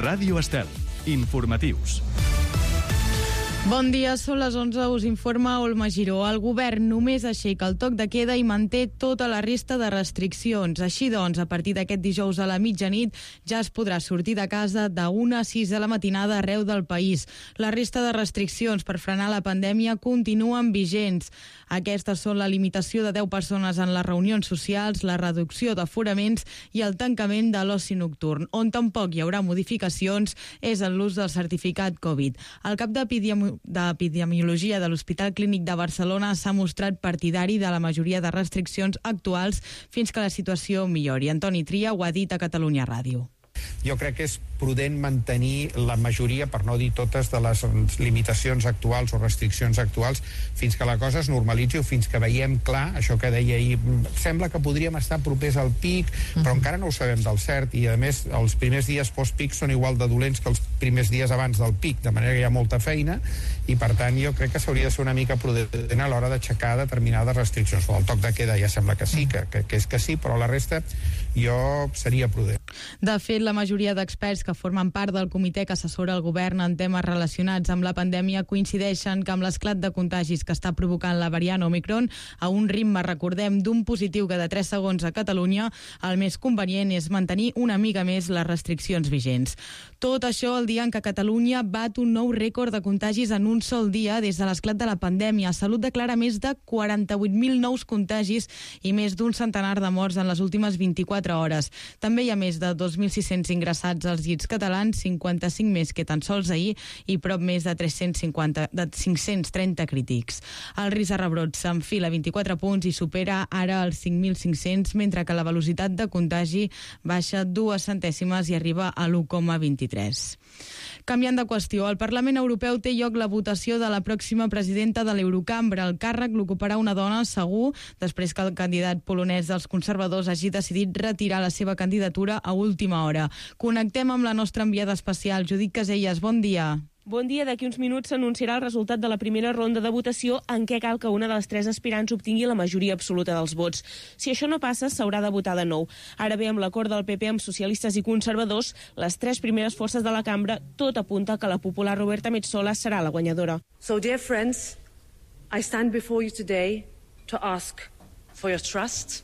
Ràdio Estel. Informatius. Bon dia, són les 11, us informa Olma Giró. El govern només aixeca el toc de queda i manté tota la resta de restriccions. Així doncs, a partir d'aquest dijous a la mitjanit ja es podrà sortir de casa de 1 a 6 de la matinada arreu del país. La resta de restriccions per frenar la pandèmia continuen vigents. Aquestes són la limitació de 10 persones en les reunions socials, la reducció d'aforaments i el tancament de l'oci nocturn. On tampoc hi haurà modificacions és en l'ús del certificat Covid. El cap d'Epidemiologia de l'Hospital Clínic de Barcelona s'ha mostrat partidari de la majoria de restriccions actuals fins que la situació millori. Antoni Tria ho ha dit a Catalunya Ràdio. Jo crec que és prudent mantenir la majoria, per no dir totes, de les limitacions actuals o restriccions actuals fins que la cosa es normalitzi o fins que veiem clar això que deia ahir. Sembla que podríem estar propers al pic, però encara no ho sabem del cert, i a més els primers dies post-pic són igual de dolents que els primers dies abans del pic, de manera que hi ha molta feina, i per tant jo crec que s'hauria de ser una mica prudent a l'hora d'aixecar determinades restriccions. El toc de queda ja sembla que sí, que és que sí, però la resta jo seria prudent. De fet, la majoria d'experts que formen part del comitè que assessora el govern en temes relacionats amb la pandèmia coincideixen que amb l'esclat de contagis que està provocant la variant Omicron a un ritme, recordem, d'un positiu cada 3 segons a Catalunya, el més convenient és mantenir una mica més les restriccions vigents. Tot això el dia en què Catalunya bat un nou rècord de contagis en un sol dia des de l'esclat de la pandèmia. Salut declara més de 48.000 nous contagis i més d'un centenar de morts en les últimes 24 hores. També hi ha més de 2.600 ingressats als llits catalans, 55 més que tan sols ahir i prop més de 530 crítics. El risc de rebrot s'enfila 24 punts i supera ara els 5.500, mentre que la velocitat de contagi baixa 2 centèsimes i arriba a l'1,23. Canviant de qüestió, al Parlament Europeu té lloc la votació de la pròxima presidenta de l'Eurocambra. El càrrec l'ocuparà una dona, segur, després que el candidat polonès dels conservadors hagi decidit retirar la seva candidatura a última hora. Connectem amb la nostra enviada especial, Judit Caselles. Bon dia. Bon dia. D'aquí uns minuts s'anunciarà el resultat de la primera ronda de votació en què cal que una de les 3 aspirants obtingui la majoria absoluta dels vots. Si això no passa, s'haurà de votar de nou. Ara bé, amb l'acord del PP amb socialistes i conservadors, les 3 primeres forces de la cambra, tot apunta que la popular Roberta Metsola serà la guanyadora. So, dear friends, I stand before you today to ask for your trust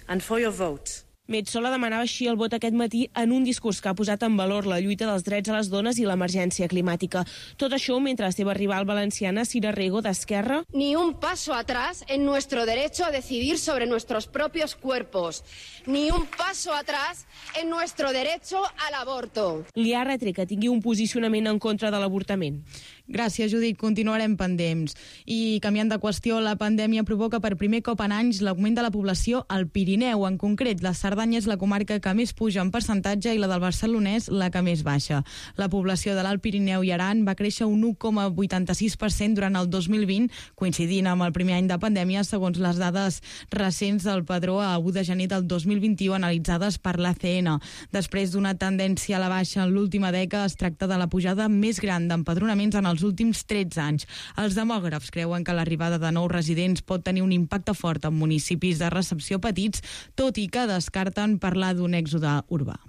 and for your vote. Metsola demanava així el vot aquest matí en un discurs que ha posat en valor la lluita dels drets a les dones i l'emergència climàtica. Tot això mentre la seva rival valenciana, Sira Rego, d'Esquerra... Ni un paso atrás en nuestro derecho a decidir sobre nuestros propios cuerpos. Ni un paso atrás en nuestro derecho al aborto. Li ha retret que tingui un posicionament en contra de l'avortament. Gràcies, Judit. Continuarem pendents. I canviant de qüestió, la pandèmia provoca per primer cop en anys l'augment de la població al Pirineu. En concret, la Cerdanya és la comarca que més puja en percentatge i la del Barcelonès la que més baixa. La població de l'Alt Pirineu i Aran va créixer un 1,86% durant el 2020, coincidint amb el primer any de pandèmia, segons les dades recents del padró a 1 de gener del 2021 analitzades per l'ACN. Després d'una tendència a la baixa en l'última dècada, es tracta de la pujada més gran d'empadronaments en els últims 13 anys. Els demògrafs creuen que l'arribada de nous residents pot tenir un impacte fort en municipis de recepció petits, tot i que descarten parlar d'un èxode urbà.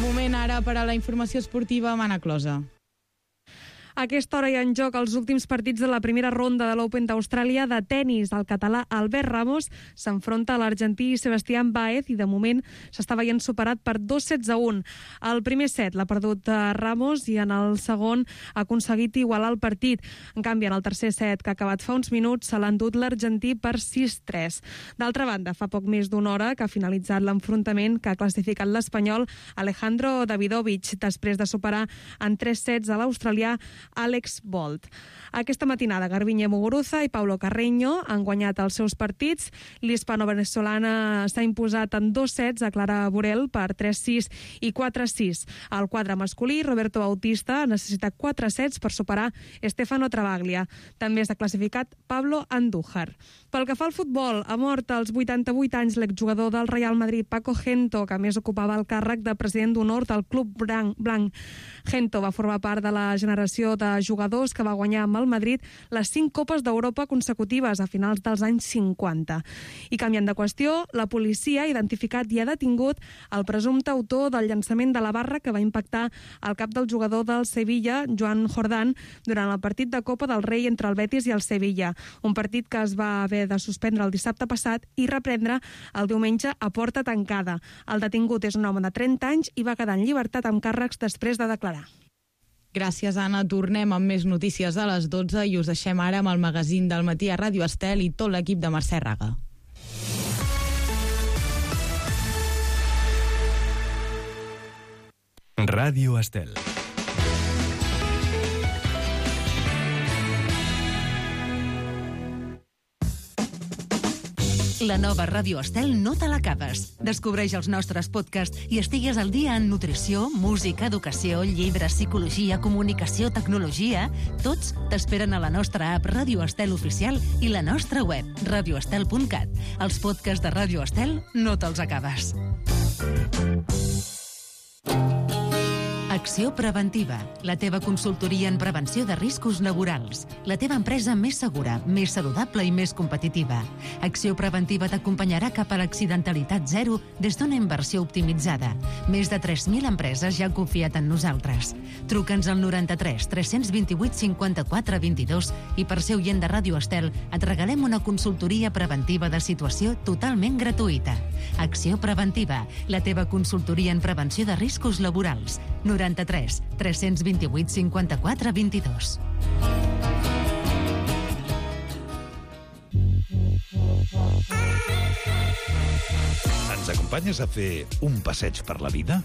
Moment ara per a la informació esportiva amb Anna Closa. A aquesta hora hi ha en joc els últims partits de la primera ronda de l'Open d'Austràlia de tennis. El català Albert Ramos s'enfronta a l'argentí Sebastián Báez i de moment s'està veient superat per 2-1. El primer set l'ha perdut Ramos i en el segon ha aconseguit igualar el partit. En canvi, en el tercer set, que ha acabat fa uns minuts, se l'ha endut l'argentí per 6-3. D'altra banda, fa poc més d'una hora que ha finalitzat l'enfrontament que ha classificat l'espanyol Alejandro Davidovich després de superar en 3 sets a l'australià Alex Bolt. Aquesta matinada, Garbiñe Muguruza i Paulo Carreño han guanyat els seus partits. L'hispano-venezolana s'ha imposat en 2 sets a Clara Burel per 3-6 i 4-6. Al quadre masculí, Roberto Bautista necessita 4 sets per superar Stefano Travaglia. També s'ha classificat Pablo Andújar. Pel que fa al futbol, ha mort als 88 anys l'exjugador del Real Madrid, Paco Gento, que a més ocupava el càrrec de president d'honor del Club Blanc. Gento va formar part de la generació de jugadors que va guanyar amb el Madrid les 5 Copes d'Europa consecutives a finals dels anys 50. I canviant de qüestió, la policia ha identificat i ha detingut el presumpte autor del llançament de la barra que va impactar el cap del jugador del Sevilla, Joan Jordán, durant el partit de Copa del Rei entre el Betis i el Sevilla. Un partit que es va haver de suspendre el dissabte passat i reprendre el diumenge a porta tancada. El detingut és un home de 30 anys i va quedar en llibertat amb càrrecs després de declarar. Gràcies, Anna. Tornem amb més notícies a les 12 i us deixem ara amb el magazín del matí a Ràdio Estel i tot l'equip de Mercè Raga. Ràdio Estel. La nova Ràdio Estel no te l'acabes. Descobreix els nostres podcasts i estigues al dia en nutrició, música, educació, llibres, psicologia, comunicació, tecnologia. Tots t'esperen a la nostra app Ràdio Estel Oficial i la nostra web, radioestel.cat. Els podcasts de Ràdio Estel no te'ls acabes. Acció Preventiva, la teva consultoria en prevenció de riscos laborals. La teva empresa més segura, més saludable i més competitiva. Acció Preventiva t'acompanyarà cap a l'accidentalitat zero des d'una inversió optimitzada. Més de 3.000 empreses ja han confiat en nosaltres. Truca'ns al 93 328 54 22 i per ser oient de Ràdio Estel et regalem una consultoria preventiva de situació totalment gratuïta. Acció Preventiva, la teva consultoria en prevenció de riscos laborals. 93 328 54 22. Ens acompanyes a fer un passeig per la vida?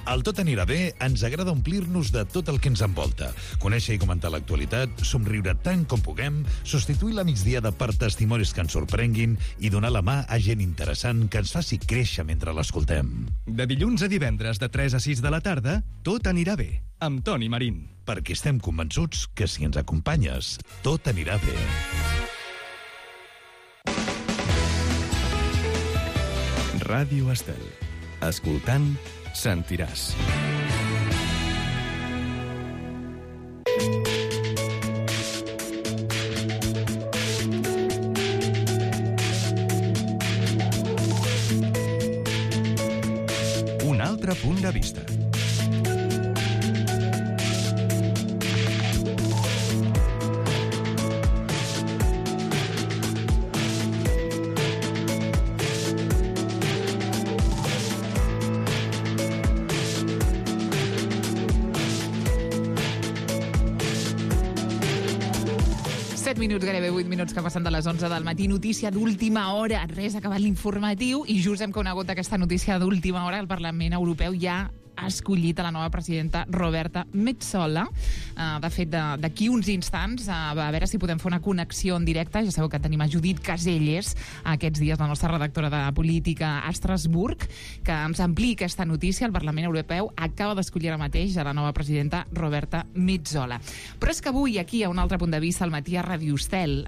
Al Tot anirà bé ens agrada omplir-nos de tot el que ens envolta, conèixer i comentar l'actualitat, somriure tant com puguem, substituir la migdiada per testimonis que ens sorprenguin i donar la mà a gent interessant que ens faci créixer mentre l'escoltem. De dilluns a divendres de 3 a 6 de la tarda, Tot anirà bé, amb Toni Marín. Perquè estem convençuts que si ens acompanyes, tot anirà bé. Ràdio Estel. Escoltant, sentiràs. Un altre punt de vista. Minuts, gairebé 8 minuts que passen de les 11 del matí. Notícia d'última hora. Res, ha acabat l'informatiu i just hem conegut aquesta notícia d'última hora. El Parlament Europeu ja ha escollit a la nova presidenta Roberta Metsola. De fet, d'aquí uns instants, a veure si podem fer una connexió en directe. Ja sabeu que tenim a Judit Caselles, aquests dies la nostra redactora de política a Estrasburg, que ens ampliï aquesta notícia. El Parlament Europeu acaba d'escollir ara mateix a la nova presidenta Roberta Metsola. Però és que avui, aquí, a un altre punt de vista, al matí a Ràdio Estel,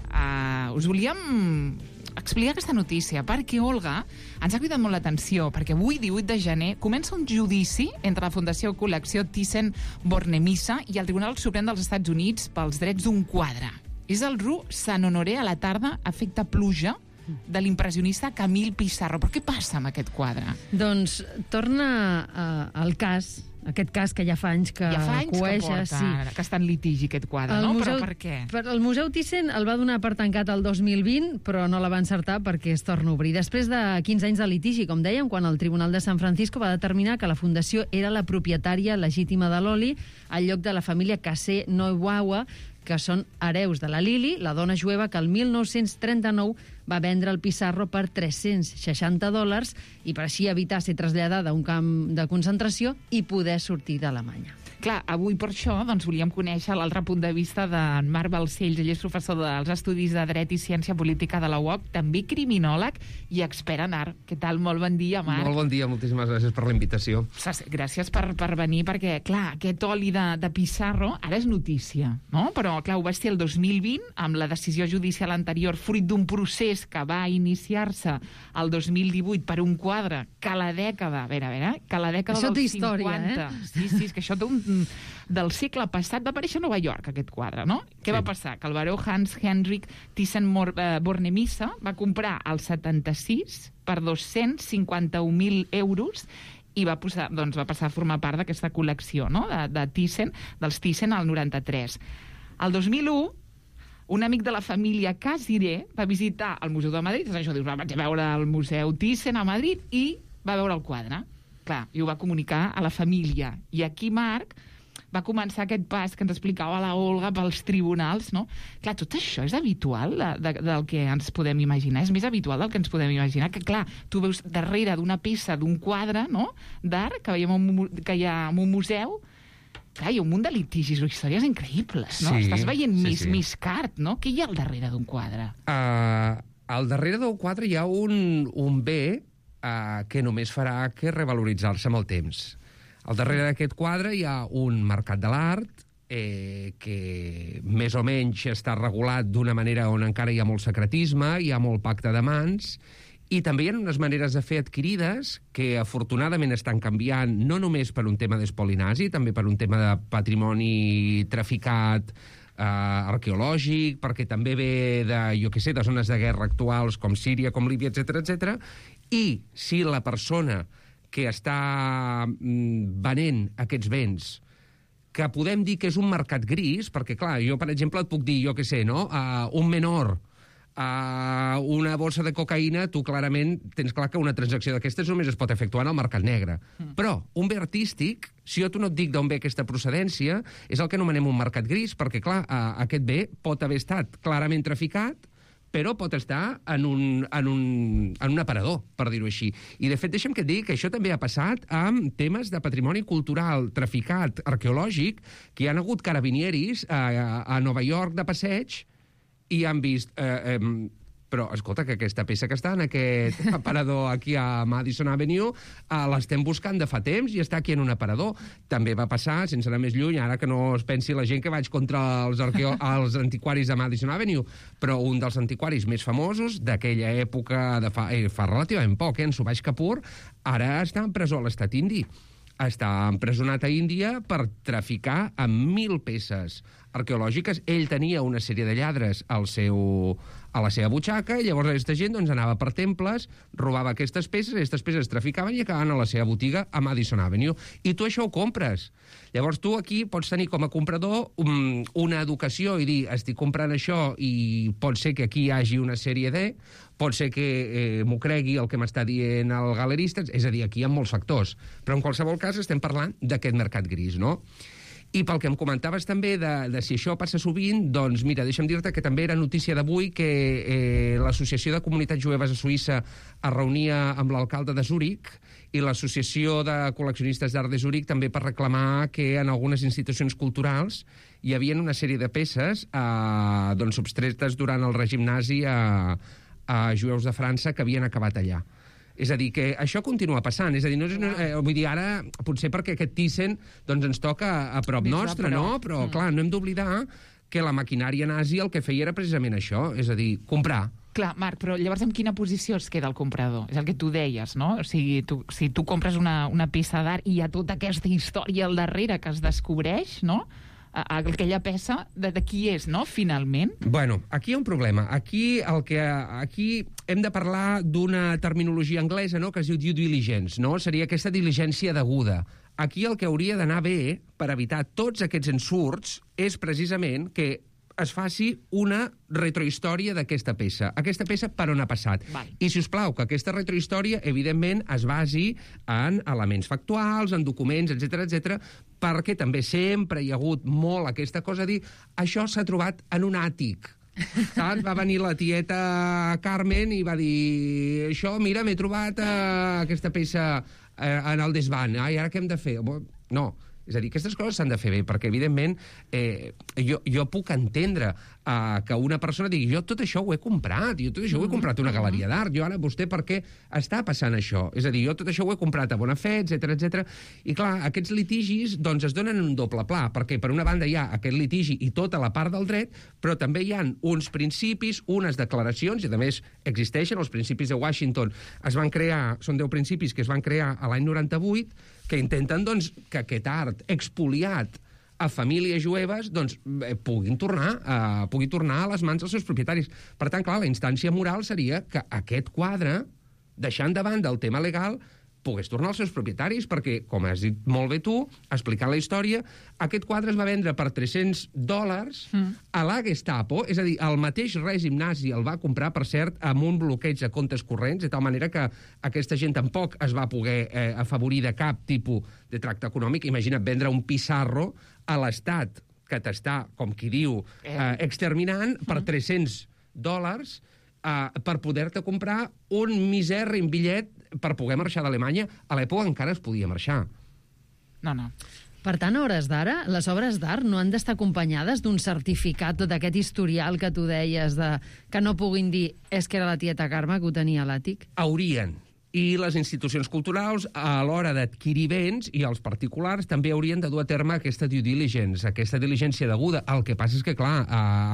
us volíem explicar aquesta notícia, perquè, Olga, ens ha cridat molt l'atenció, perquè avui, 18 de gener, comença un judici entre la Fundació Col·lecció Thyssen-Bornemisza i el Tribunal Suprem dels Estats Units pels drets d'un quadre. És el Rue Saint-Honoré a la tarda, efecte pluja, de l'impressionista Camille Pissarro. Però què passa amb aquest quadre? Doncs torna al cas, aquest cas que ja fa anys que coeja, que està en litigi aquest quadre, no? Però per què? El Museu Thyssen el va donar per tancat el 2020, però no la va encertar perquè es torna a obrir. Després de 15 anys de litigi, com dèiem, quan el Tribunal de San Francisco va determinar que la fundació era la propietària legítima de l'oli al lloc de la família Cassé-Neubaua, que són hereus de la Lili, la dona jueva que el 1939 va vendre el Pissarro per $360 i per així evitar ser traslladada a un camp de concentració i poder sortir d'Alemanya. Clar, avui per això volíem conèixer l'altre punt de vista d'en Marc Balcells. Ell és professor dels Estudis de Dret i Ciència Política de la UOC, també criminòleg i expert en art. Què tal? Molt bon dia, Marc. Molt bon dia, moltíssimes gràcies per la invitació. Gràcies per venir, perquè, clar, aquest oli de Pissarro ara és notícia, no? Però, clar, ho va ser el 2020, amb la decisió judicial anterior, fruit d'un procés que va iniciar-se el 2018 per un quadre que a la dècada, que a la dècada això dels 50... Història, Sí, és que això té un del segle passat. Va aparèixer a Nova York, aquest quadre, no? Què va passar? Que el baró Hans Henrik Thyssen-Bornemisza va comprar el 76 per 251.000 euros i va passar a formar part d'aquesta col·lecció, no? de Thyssen, dels Thyssen al 93. El 2001, un amic de la família Casiré va visitar el Museu de Madrid, això dius, vaig a veure el Museu Thyssen a Madrid, i va veure el quadre. Clar, i ho va comunicar a la família. I aquí, Marc, va començar aquest pas que ens explicava la Olga pels tribunals, no? Clar, tot això és habitual del que ens podem imaginar, és més habitual del que ens podem imaginar, que clar, tu veus darrere d'una peça, d'un quadre, no?, d'art, que hi ha en un museu, clar, hi ha un munt de litigis o històries increïbles, no? Sí, estàs veient Miss Cart, no? Què hi ha al darrere d'un quadre? Al darrere d'un quadre hi ha un bé que només farà que revaloritzar-se amb el temps. Al darrere d'aquest quadre hi ha un mercat de l'art que més o menys està regulat d'una manera on encara hi ha molt secretisme, hi ha molt pacte de mans, i també hi ha unes maneres de fer adquirides que afortunadament estan canviant, no només per un tema d'espoli nazi, també per un tema de patrimoni traficat arqueològic, perquè també ve de zones de guerra actuals com Síria, com Líbia, etc. I si la persona que està venent aquests béns, que podem dir que és un mercat gris, perquè, clar, jo, per exemple, et puc dir, un menor, una bossa de cocaïna, tu clarament tens clar que una transacció d'aquestes només es pot efectuar en el mercat negre. Però un bé artístic, si jo no et dic d'on ve aquesta procedència, és el que anomenem un mercat gris, perquè, clar, aquest bé pot haver estat clarament traficat, però pot estar en un aparador, per dir-ho així. I, de fet, deixa'm que et digui que això també ha passat amb temes de patrimoni cultural traficat arqueològic, que hi ha hagut carabinieris a Nova York de passeig i han vist... Però, escolta, que aquesta peça que està en aquest aparador aquí a Madison Avenue l'estem buscant de fa temps i està aquí en un aparador. També va passar, sense anar més lluny, ara que no es pensi la gent que vaig contra els antiquaris de Madison Avenue, però un dels antiquaris més famosos d'aquella època, fa relativament poc, en Subhash Kapoor, ara està en presó a l'estat indi. Està empresonat a Índia per traficar amb 1.000 peces arqueològiques. Ell tenia una sèrie de lladres a la seva butxaca, i llavors aquesta gent anava per temples, robava aquestes peces es traficaven i acabaven a la seva botiga a Madison Avenue. I tu això ho compres. Llavors tu aquí pots tenir com a comprador una educació i dir, estic comprant això i pot ser que aquí hi hagi una sèrie de... Pot ser que m'ho cregui el que m'està dient el galerista, és a dir, aquí hi ha molts factors. Però en qualsevol cas estem parlant d'aquest mercat gris, no? I pel que em comentaves també de si això passa sovint, doncs mira, deixa'm dir-te que també era notícia d'avui que l'Associació de Comunitats Jueves a Suïssa es reunia amb l'alcalde de Zúrich i l'Associació de Col·leccionistes d'Art de Zúrich també per reclamar que en algunes institucions culturals hi havia una sèrie de peces substretes durant el règim nazi a jueus de França que havien acabat allà. És a dir, que això continua passant. És a dir, vull dir, ara, potser perquè aquest Thyssen ens toca a prop nostre, no? Però, clar, no hem d'oblidar que la maquinària nazi el que feia era precisament això, és a dir, comprar. Clar, Marc, però llavors en quina posició es queda el comprador? És el que tu deies, no? O sigui, si tu compres una peça d'art i hi ha tota aquesta història al darrere que es descobreix, no?, aquella peça, de qui és, no?, finalment? Bueno, aquí hi ha un problema. Aquí hem de parlar d'una terminologia anglesa, no?, que es diu due diligence, no? Seria aquesta diligència deguda. Aquí el que hauria d'anar bé per evitar tots aquests ensurts és precisament que es faci una retrohistòria d'aquesta peça. Aquesta peça per on ha passat. I, si us plau, que aquesta retrohistòria, evidentment, es basi en elements factuals, en documents, etc, perquè també sempre hi ha hagut molt aquesta cosa de dir això s'ha trobat en un àtic. Saps? Va venir la tieta Carmen i va dir això, mira, m'he trobat aquesta peça en el desván. I ara què hem de fer? No. És a dir, aquestes coses s'han de fer bé, perquè, evidentment, jo puc entendre que una persona digui jo tot això ho he comprat, jo tot això ho he comprat a una galeria d'art, jo ara vostè per què està passant això? És a dir, jo tot això ho he comprat a bona fe, etc. I, clar, aquests litigis doncs es donen en un doble pla, perquè per una banda hi ha aquest litigi i tota la part del dret, però també hi ha uns principis, unes declaracions, i a més existeixen els principis de Washington, es van crear, són 10 principis que es van crear a l'any 98, que intenten, doncs, que aquest art sort expoliat a famílies jueves, doncs pugui tornar a les mans dels seus propietaris. Per tant, clar, la instància moral seria que aquest quadre, deixant de banda el tema legal, pogués tornar als seus propietaris, perquè, com has dit molt bé tu, explicant la història, aquest quadre es va vendre per $300 a la Gestapo, és a dir, el mateix règim nazi el va comprar, per cert, amb un bloqueig de comptes corrents, de tal manera que aquesta gent tampoc es va poder afavorir de cap tipus de tracte econòmic. Imagina't vendre un Pissarro a l'Estat, que t'està, com qui diu, exterminant per $300 per poder-te comprar un misèrrim bitllet per poder marxar d'Alemanya. A l'època encara es podia marxar. No. Per tant, a hores d'ara, les obres d'art no han d'estar acompanyades d'un certificat, tot aquest historial que tu deies, que no puguin dir és que era la tieta Carme que ho tenia a l'àtic? Haurien. I les institucions culturals, a l'hora d'adquirir béns, i els particulars, també haurien de dur a terme aquesta due diligence, aquesta diligència deguda. El que passa és que, clar,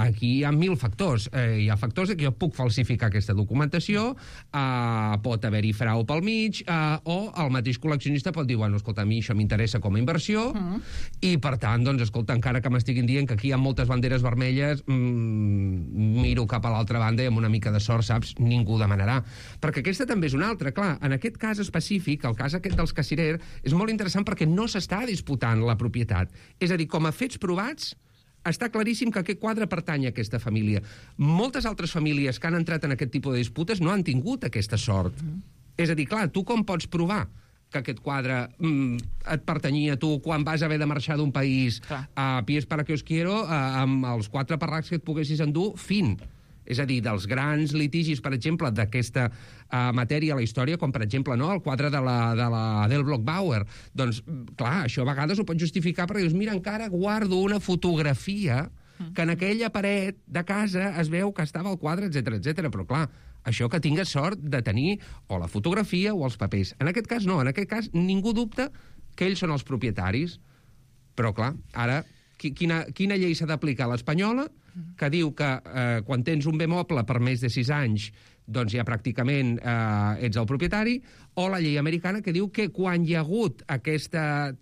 aquí hi ha 1000 factors. Hi ha factors que jo puc falsificar aquesta documentació, pot haver-hi frau pel mig, o el mateix col·leccionista pot dir, bueno, escolta, a mi això m'interessa com a inversió, i, per tant, doncs, escolta, encara que m'estiguin dient que aquí hi ha moltes banderes vermelles, miro cap a l'altra banda i amb una mica de sort, saps, ningú demanarà. Perquè aquesta també és una altra, clar. En aquest cas específic, el cas aquest dels Cassirer, és molt interessant perquè no s'està disputant la propietat. És a dir, com a fets provats, està claríssim que aquest quadre pertany a aquesta família. Moltes altres famílies que han entrat en aquest tipus de disputes no han tingut aquesta sort. És a dir, clar, tu com pots provar que aquest quadre et pertanyia a tu quan vas haver de marxar d'un país a pies para que os quiero, amb els 4 parracs que et poguessis endur, fin. És a dir, dels grans litigis, per exemple, d'aquesta matèria a la història, com, per exemple, no, el quadre de la Del Bloch-Bauer. Doncs, clar, això a vegades ho pot justificar perquè dius, mira, encara guardo una fotografia que en aquella paret de casa es veu que estava el quadre, etc. Però, clar, això que tingues sort de tenir o la fotografia o els papers. En aquest cas, no. En aquest cas, ningú dubta que ells són els propietaris. Però, clar, ara, quina llei s'ha d'aplicar? L'espanyola, que diu que quan tens un bé moble per més de 6 anys, doncs ja pràcticament ets el propietari, o la llei americana que diu que quan hi ha hagut aquesta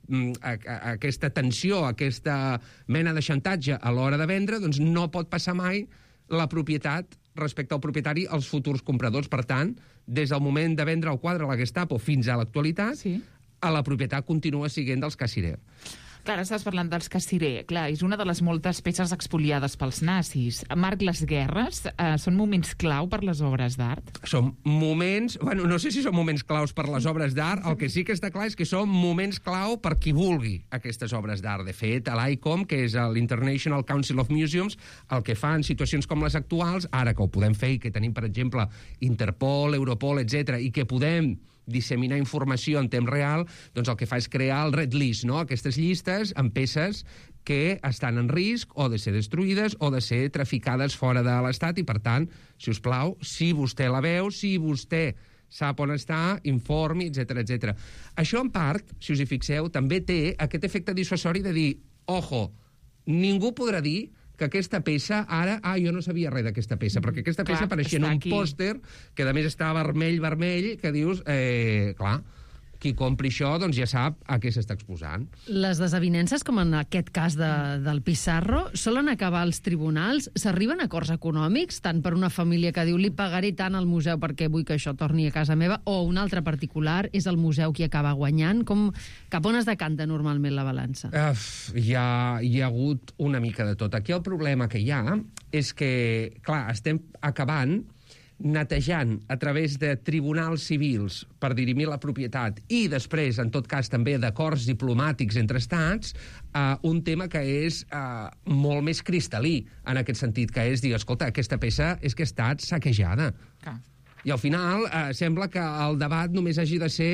tensió, aquesta mena de xantatge a l'hora de vendre, doncs no pot passar mai la propietat respecte al propietari als futurs compradors. Per tant, des del moment de vendre el quadre a la Gestapo fins a l'actualitat, la propietat continua sent dels Cassirer. Clar, estàs parlant dels Cassirer. Clar, és una de les moltes peces expoliades pels nazis. Marc, les guerres són moments clau per les obres d'art? Són moments... Bueno, no sé si són moments claus per les obres d'art. El que sí que està clar és que són moments clau per qui vulgui aquestes obres d'art. De fet, l'ICOM, que és l'International Council of Museums, el que fa en situacions com les actuals, ara que ho podem fer i que tenim, per exemple, Interpol, Europol, etc., i que podem disseminar informació en temps real, doncs el que fa és crear el Red List, no? Aquestes llistes amb peces que estan en risc o de ser destruïdes o de ser traficades fora de l'Estat i, per tant, si us plau, si vostè la veu, si vostè sap on està, informi, etc. Això, en part, si us hi fixeu, també té aquest efecte dissuasori de dir, ojo, ningú podrà dir que aquesta peça, ara, jo no sabia res d'aquesta peça, perquè aquesta peça apareixia en un pòster, que a més està vermell, que dius, clar, qui compri això doncs ja sap a què s'està exposant. Les desavinences, com en aquest cas del Pissarro, solen acabar als tribunals? S'arriben a acords econòmics, tant per una família que diu li pagaré tant al museu perquè vull que això torni a casa meva, o un altre particular és el museu qui acaba guanyant? Cap on es decanta normalment la balança? Hi ha hagut una mica de tot. Aquí el problema que hi ha és que, clar, estem acabant netejant a través de tribunals civils per dirimir la propietat i després, en tot cas, també d'acords diplomàtics entre estats, un tema que és molt més cristal·lí en aquest sentit, que és dir, escolta, aquesta peça és que ha estat saquejada. I al final sembla que el debat només hagi de ser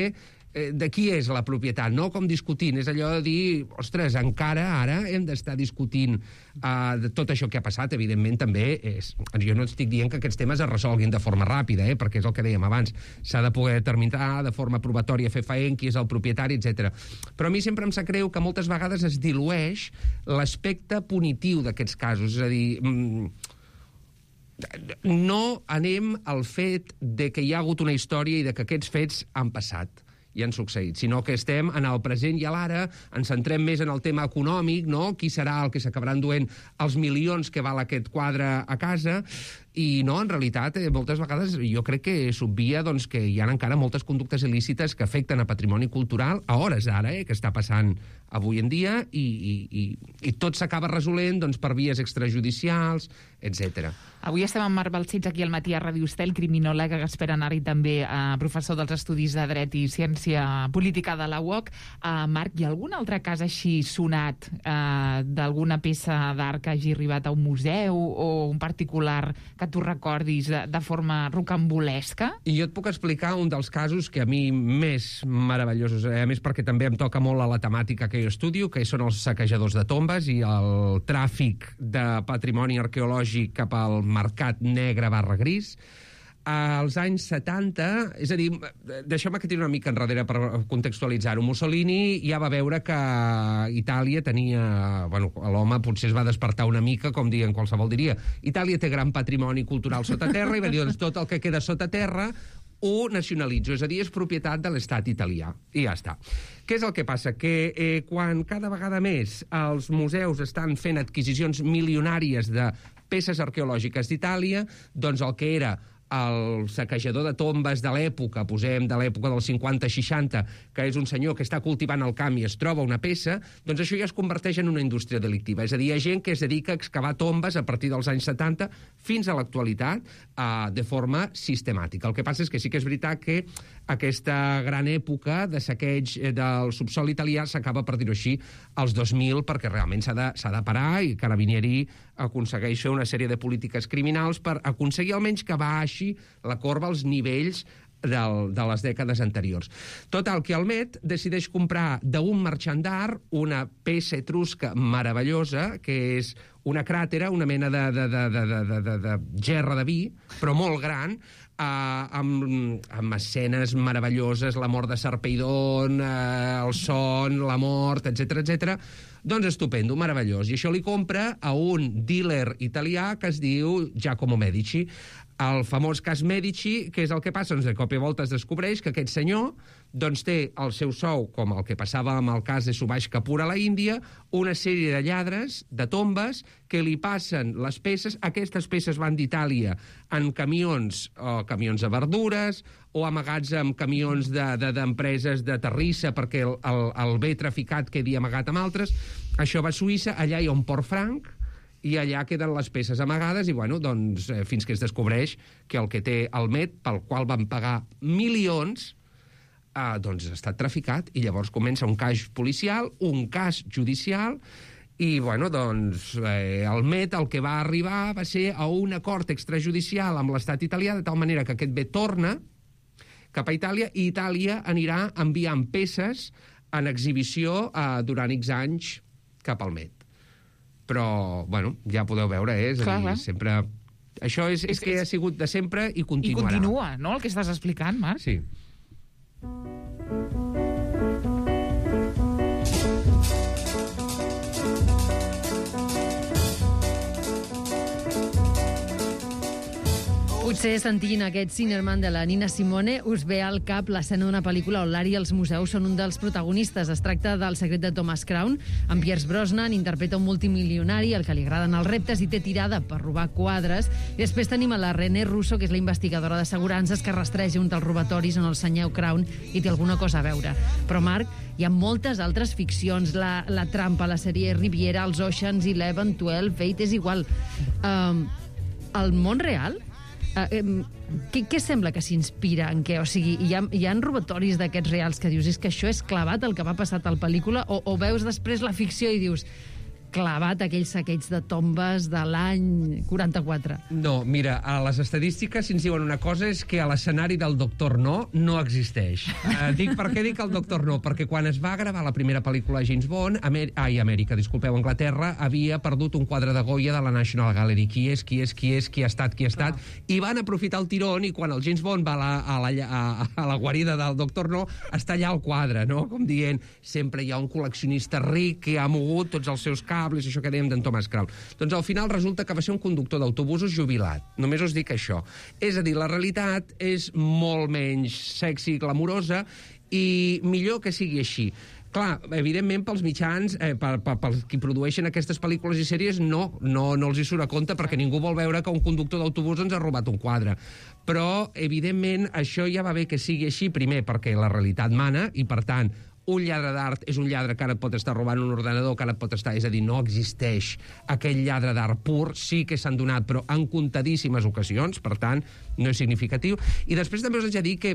de qui és la propietat, no com discutint. És allò de dir, ostres, encara ara hem d'estar discutint de tot això que ha passat. Evidentment, també jo no estic dient que aquests temes es resolguin de forma ràpida, perquè és el que dèiem abans. S'ha de poder determinar de forma probatòria fefaent qui és el propietari, etc. Però a mi sempre em sap greu que moltes vegades es dilueix l'aspecte punitiu d'aquests casos. És a dir, no anem al fet de que hi ha hagut una història i de que aquests fets han passat. i han succeït, sinó que estem en el present i a l'ara, ens centrem més en el tema econòmic, no? Qui serà el que s'acabaran duent els milions que val aquest quadre a casa, i no, en realitat, moltes vegades jo crec que s'obvia doncs, que hi ha encara moltes conductes il·lícites que afecten a patrimoni cultural a hores d'ara, que està passant avui en dia, i tot s'acaba resolent doncs, per vies extrajudicials, etc. Avui estem amb Marc Balcells aquí al matí a Ràdio Estel, criminòleg, expert en art i també professor dels Estudis de Dret i Ciència Política de la UOC. Marc, hi ha algun altre cas així sonat d'alguna peça d'art que hagi arribat a un museu o un particular que tu recordis de forma rocambolesca? I jo et puc explicar un dels casos que a mi més meravellosos, a més perquè també em toca molt a la temàtica que jo estudio, que són els saquejadors de tombes i el tràfic de patrimoni arqueològic cap al mercat negre / gris. Als anys 70, és a dir, deixeu-me que tiri una mica enrere per contextualitzar-ho. Mussolini ja va veure que Itàlia tenia... Bueno, l'home potser es va despertar una mica, com dient qualsevol diria. Itàlia té gran patrimoni cultural sota terra i va dir, doncs tot el que queda sota terra ho nacionalitzo, és a dir, és propietat de l'estat italià. I ja està. Què és el que passa? Que quan cada vegada més els museus estan fent adquisicions milionàries de peces arqueològiques d'Itàlia, doncs el que era el saquejador de tombes de l'època, posem de l'època dels 50-60, que és un senyor que està cultivant el camp i es troba una peça, doncs això ja es converteix en una indústria delictiva. És a dir, hi ha gent que es dedica a excavar tombes a partir dels anys 70 fins a l'actualitat de forma sistemàtica. El que passa és que sí que és veritat que aquesta gran època de saqueig del subsol italià s'acaba, per dir-ho així, als 2000, perquè realment s'ha de parar i Carabinieri aconsegueix fer una sèrie de polítiques criminals per aconseguir almenys que baixi la corba als nivells de les dècades anteriors. Total, que el Met decideix comprar d'un marxant d'art una peça etrusca meravellosa, que és una cràtera, una mena de gerra de vi, però molt gran, amb escenes meravelloses, la mort de Sarpeidon, el son, la mort, etc. Doncs estupendo, meravellós. I això li compra a un dealer italià que es diu Giacomo Medici. El famós cas Medici, què és el que passa? Doncs de cop i volta es descobreix que aquest senyor doncs, té el seu sou, com el que passava amb el cas de Subhash Kapoor a la Índia, una sèrie de lladres, de tombes, que li passen les peces. Aquestes peces van d'Itàlia en camions de verdures, o amagats amb camions d'empreses de terrissa perquè el bé traficat quedi amagat amb altres. Això va a Suïssa, allà hi ha un port franc, i allà queden les peces amagades i, bueno, doncs, fins que es descobreix que el que té el Met, pel qual van pagar milions, doncs ha estat traficat, i llavors comença un cas policial, un cas judicial, i, bueno, doncs, el Met el que va arribar va ser a un acord extrajudicial amb l'estat italià, de tal manera que aquest bé torna cap a Itàlia, i Itàlia anirà enviant peces en exhibició durant X anys cap al Met. Però, bueno, ja podeu veure, és a dir, sempre... Això és que ha sigut de sempre i continuarà. I continua, no?, el que estàs explicant, Marc? Sí. Potser sentint aquest Sinnerman de la Nina Simone us ve al cap l'escena d'una pel·lícula on l'art i els museus són un dels protagonistes. Es tracta del Secret de Thomas Crown. En Pierce Brosnan interpreta un multimilionari al que li agraden els reptes i té tirada per robar quadres. I després tenim a la René Russo, que és la investigadora d'assegurances que rastreja un dels robatoris on el senyor Crown hi té alguna cosa a veure. Però, Marc, hi ha moltes altres ficcions. La Trampa, la sèrie Riviera, els Oceans, 11, 12, Fate, és igual. El món real... Què sembla que s'inspira en què? O sigui, hi ha robatoris d'aquests reals que dius és que això és clavat el que va passar a la pel·lícula, o veus després la ficció i dius clavat aquells saqueigs de tombes de l'any 44? No, mira, a les estadístiques si ens diuen una cosa és que a l'escenari del Doctor No existeix. Per què dic el Doctor No? Perquè quan es va gravar la primera pel·lícula de James Bond, Anglaterra havia perdut un quadre de Goya de la National Gallery. Qui ha estat? I van aprofitar el tirón, i quan el James Bond va a la guarida del Doctor No, està allà el quadre, no? Com dient, sempre hi ha un col·leccionista ric que ha mogut tots els seus cables, això que dèiem d'en Thomas Crown. Doncs al final resulta que va ser un conductor d'autobusos jubilat. Només us dic això. És a dir, la realitat és molt menys sexy i glamurosa, I millor que sigui així. Clar, evidentment, pels mitjans, pels qui produeixen aquestes pel·lícules i sèries, no els hi surt a compte perquè ningú vol veure que un conductor d'autobús ens ha robat un quadre. Però, evidentment, això ja va bé que sigui així, primer perquè la realitat mana i, per tant, un lladre d'art és un lladre que ara et pot estar robant un ordenador, que ara et pot estar... És a dir, no existeix aquell lladre d'art pur, sí que s'han donat, però en comptadíssimes ocasions, per tant, no és significatiu. I després també us haig de dir que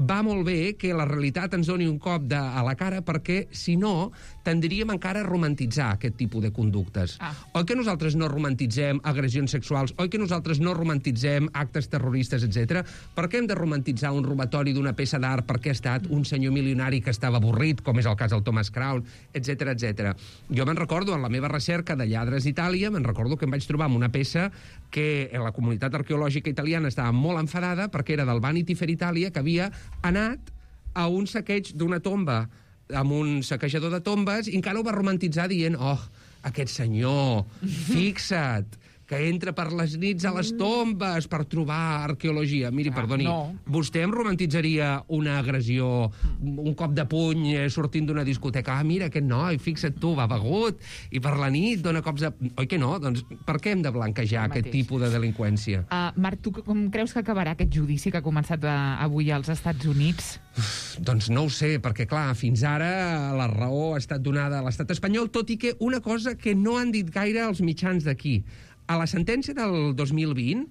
va molt bé que la realitat ens doni un cop a la cara, perquè, si no, tendríem encara a romantitzar aquest tipus de conductes. Oi que nosaltres no romantitzem agressions sexuals? Oi que nosaltres no romantitzem actes terroristes, etc? Per què hem de romantitzar un robatori d'una peça d'art perquè ha estat un senyor milionari que estava avorrit, com és el cas del Thomas Crown, etc etc. Jo me'n recordo, en la meva recerca de lladres d'Itàlia, me'n recordo que em vaig trobar amb una peça que la comunitat arqueològica italiana estava molt enfadada perquè era del Vanity Fair Itàlia, que havia anat a un saqueig d'una tomba amb un saquejador de tombes i encara ho va romantitzar dient aquest senyor, fixa't, que entra per les nits a les tombes per trobar arqueologia. Miri, perdoni, vostè em romantitzaria una agressió, un cop de puny sortint d'una discoteca? Mira, aquest noi, fixa't tu, va begut, i per la nit dona cops de... Oi que no? Doncs per què hem de blanquejar aquest tipus de delinqüència? Marc, tu com creus que acabarà aquest judici que ha començat avui als Estats Units? Doncs no ho sé, perquè, clar, fins ara la raó ha estat donada a l'estat espanyol, tot i que una cosa que no han dit gaire els mitjans d'aquí. A la sentència del 2020,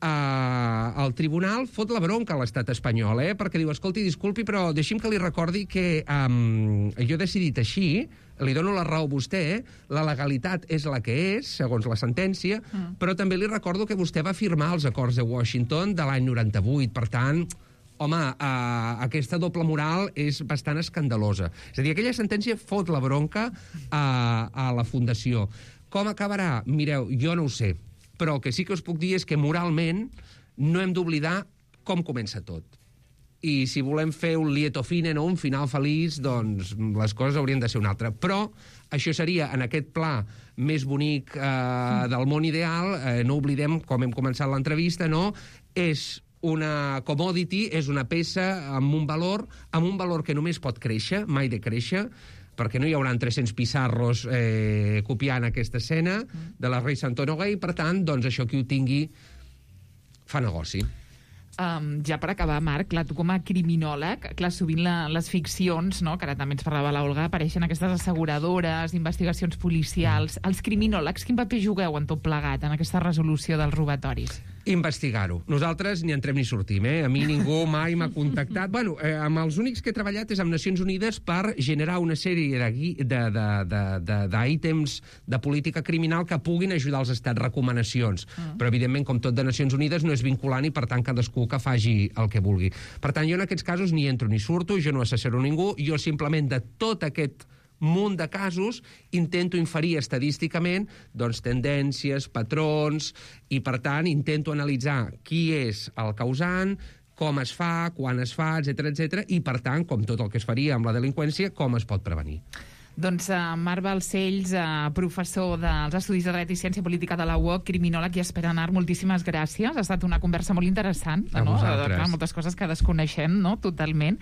el tribunal fot la bronca a l'estat espanyol, perquè diu, escolti, disculpi, però deixi'm que li recordi que jo he decidit així, li dono la raó a vostè, la legalitat és la que és, segons la sentència, però també li recordo que vostè va firmar els acords de Washington de l'any 98, per tant... Home, aquesta doble moral és bastant escandalosa. És a dir, aquella sentència fot la bronca a la Fundació. Com acabarà? Mireu, jo no ho sé, però el que sí que us puc dir és que moralment no hem d'oblidar com comença tot. I si volem fer un lieto fine, no un final feliç, doncs les coses haurien de ser una altra. Però això seria, en aquest pla més bonic del món ideal, no oblidem, com hem començat l'entrevista, no? És una commodity, és una peça amb un valor que només pot créixer, mai decréixer, perquè no hi haurà 300 pissarros copiant aquesta escena de la Rei Santonogai, i per tant, doncs això qui ho tingui fa negoci. Ja per acabar, Marc, clar, tu com a criminòleg, clar, sovint les ficcions, no?, que ara també ens parlava l'Olga, apareixen aquestes asseguradores, investigacions policials. Els criminòlegs, quin paper jugueu en tot plegat, en aquesta resolució dels robatoris? Investigar-ho. Nosaltres ni entrem ni sortim, A mi ningú mai m'ha contactat. Bueno, amb els únics que he treballat és amb Nacions Unides per generar una sèrie d'ítems de política criminal que puguin ajudar els estats, recomanacions. Però, evidentment, com tot de Nacions Unides, no és vinculant i, per tant, cadascú que faci el que vulgui. Per tant, jo en aquests casos ni entro ni surto, jo no assessoro ningú, jo simplement de tot aquest munt de casos intento inferir estadísticament doncs, tendències, patrons, i per tant intento analitzar qui és el causant, com es fa, quan es fa, etc, i per tant, com tot el que es faria amb la delinqüència, com es pot prevenir. Doncs Marc Balcells, professor dels Estudis de Dret i Ciència Política de la UOC, criminòleg i Esperanart, moltíssimes gràcies. Ha estat una conversa molt interessant. A vosaltres. Clar, moltes coses que desconeixem, no?, totalment.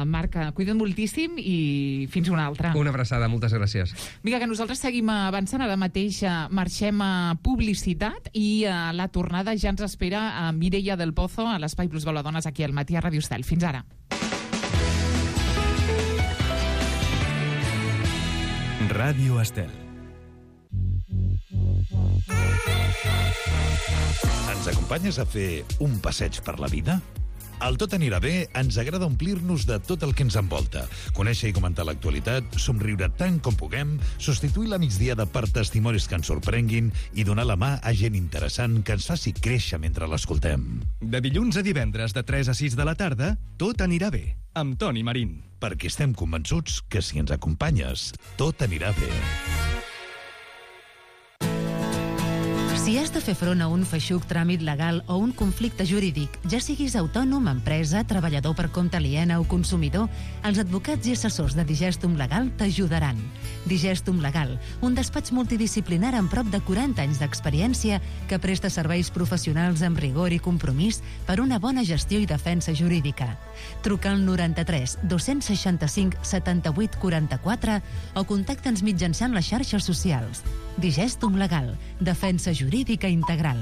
Marc, cuida't moltíssim i fins una altra. Una abraçada, moltes gràcies. Vinga, que nosaltres seguim avançant. Ara mateix marxem a publicitat i la tornada ja ens espera a Mireia del Pozo a l'Espai Plus Dones aquí al Matí a Ràdio Estel. Fins ara. Ràdio Estel. Ens acompanyes a fer un passeig per la vida? Al Tot anirà bé ens agrada omplir-nos de tot el que ens envolta, conèixer i comentar l'actualitat, somriure tant com puguem, substituir la migdiada per testimonis que ens sorprenguin i donar la mà a gent interessant que ens faci créixer mentre l'escoltem. De dilluns a divendres de 3 a 6 de la tarda, Tot anirà bé, amb Toni Marín. Perquè estem convençuts que si ens acompanyes, tot anirà bé. Si has has de fer front a un feixuc tràmit legal o un conflicte jurídic, ja siguis autònom, empresa, treballador per compte aliena o consumidor, els advocats i assessors de Digestum Legal t'ajudaran. Digestum Legal, un despatx multidisciplinar amb prop de 40 anys d'experiència que presta serveis professionals amb rigor i compromís per una bona gestió i defensa jurídica. Truca al 93 265 78 44 o contacta'ns mitjançant les xarxes socials. Digestum Legal, defensa jurídica integral.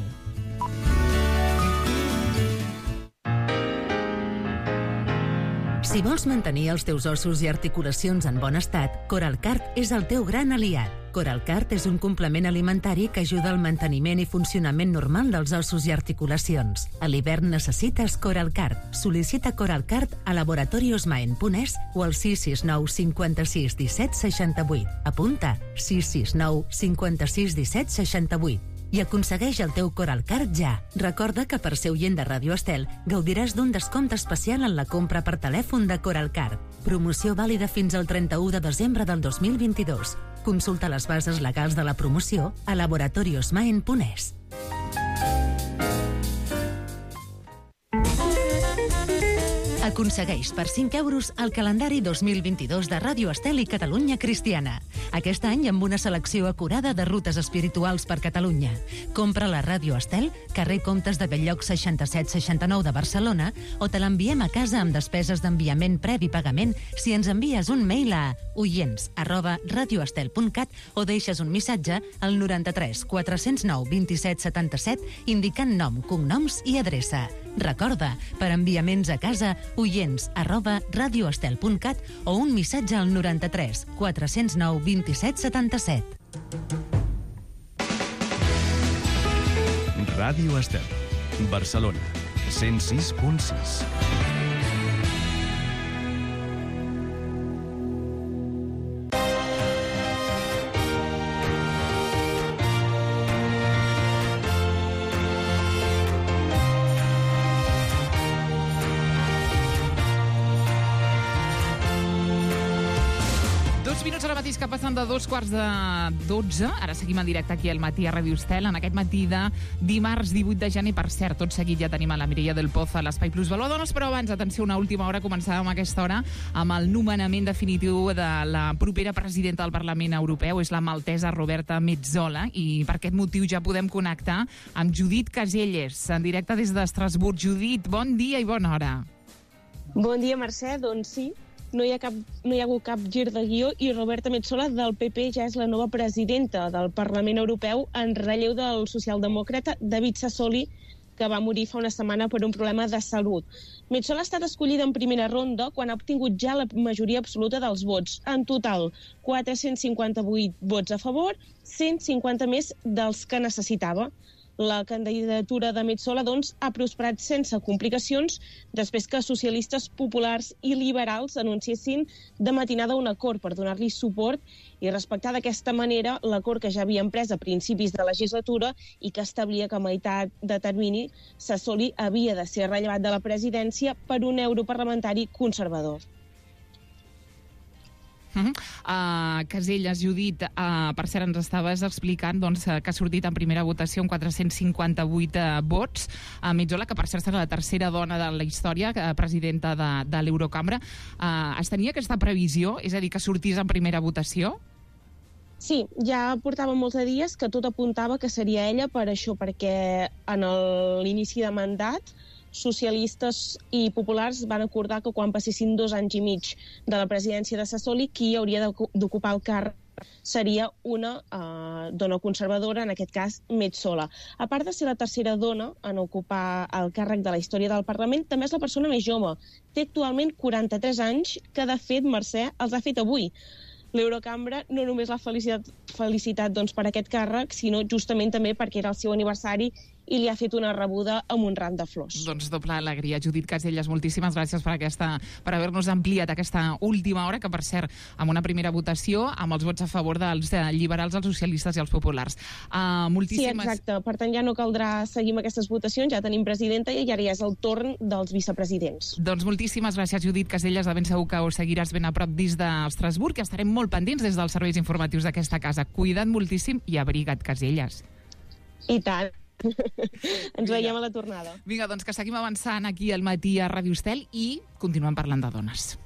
Si vols mantenir els teus ossos i articulacions en bon estat, Coralcart és el teu gran aliat. Coralcart és un complement alimentari que ajuda al manteniment i funcionament normal dels ossos i articulacions. A l'hivern necessites Coralcart. Sol·licita Coralcart a laboratoriosmaen.es o al 669 56 17 68. Apunta 669 56 17 68. I aconsegueix el teu Coralcart ja. Recorda que per ser oient de Ràdio Estel gaudiràs d'un descompte especial en la compra per telèfon de Coralcart. Promoció vàlida fins al 31 de desembre del 2022. Consulta les bases legals de la promoció a laboratoriosmaen.es. Aconsegueix per 5 euros el calendari 2022 de Ràdio Estel i Catalunya Cristiana. Aquest any amb una selecció acurada de rutes espirituals per Catalunya. Compra la Ràdio Estel, carrer Comtes de Belllloc 6769 de Barcelona, o te l'enviem a casa amb despeses d'enviament previ pagament si ens envies un mail a oients@radioestel.cat o deixes un missatge al 93 409 27 77 indicant nom, cognoms i adreça. Recorda, per enviaments a casa, oients@radioestel.cat o un missatge al 93 409 27 77. Ràdio Estel, Barcelona, 106.6. Que passen de 2:15. Ara seguim en directe aquí al matí a Ràdio Estel, en aquest matí de dimarts 18 de gener. Per cert, tot seguit ja tenim a la Mireia del Pozo a l'Espai Plus Valor. Però abans, atenció, una última hora, començàvem aquesta hora amb el nomenament definitiu de la propera presidenta del Parlament Europeu, és la maltesa Roberta Metsola, i per aquest motiu ja podem connectar amb Judit Caselles, en directe des d'Estrasburg. Judit, bon dia i bona hora. Bon dia, Mercè. Doncs sí, no hi ha hagut cap gir de guió i Roberta Metsola del PP ja és la nova presidenta del Parlament Europeu en relleu del socialdemòcrata David Sassoli, que va morir fa una setmana per un problema de salut. Metsola ha estat escollida en primera ronda quan ha obtingut ja la majoria absoluta dels vots. En total, 458 vots a favor, 150 més dels que necessitava. La candidatura de Metsola, doncs, ha prosperat sense complicacions després que socialistes, populars i liberals anunciessin de matinada un acord per donar-li suport i respectar d'aquesta manera l'acord que ja havien pres a principis de legislatura i que establia que a meitat de termini Sassoli havia de ser rellevat de la presidència per un europarlamentari conservador. Caselles, Judit, per cert, ens estaves explicant que ha sortit en primera votació amb 458 vots. Metsola, que per cert serà la tercera dona de la història, presidenta de l'Eurocambra. Es tenia aquesta previsió, és a dir, que sortís en primera votació? Sí, ja portava molts de dies que tot apuntava que seria ella per això, perquè en l'inici de mandat socialistes i populars van acordar que quan passessin 2 anys i mig de la presidència de Sassoli, qui hauria d'ocupar el càrrec seria una dona conservadora, en aquest cas Metsola. A part de ser la tercera dona en ocupar el càrrec de la història del Parlament, també és la persona més jove. Té actualment 43 anys, que de fet, Mercè, els ha fet avui. L'Eurocambra no només l'ha felicitat per aquest càrrec, sinó justament també perquè era el seu aniversari i li ha fet una rebuda amb un ram de flors. Doncs doble alegria. Judit Caselles, moltíssimes gràcies per haver-nos ampliat aquesta última hora, que per cert, amb una primera votació, amb els vots a favor dels liberals, els socialistes i els populars. Sí, exacte. Per tant, ja no caldrà seguir amb aquestes votacions, ja tenim presidenta i ara ja és el torn dels vicepresidents. Doncs moltíssimes gràcies, Judit Caselles. De ben segur que ho seguiràs ben a prop des d'Estrasburg, que estarem molt pendents des dels serveis informatius d'aquesta casa. Cuida't moltíssim i abriga't, Caselles. I tant. Ens veiem a la tornada. Vinga, doncs que seguim avançant aquí al matí a Ràdio Estel i continuem parlant de dones.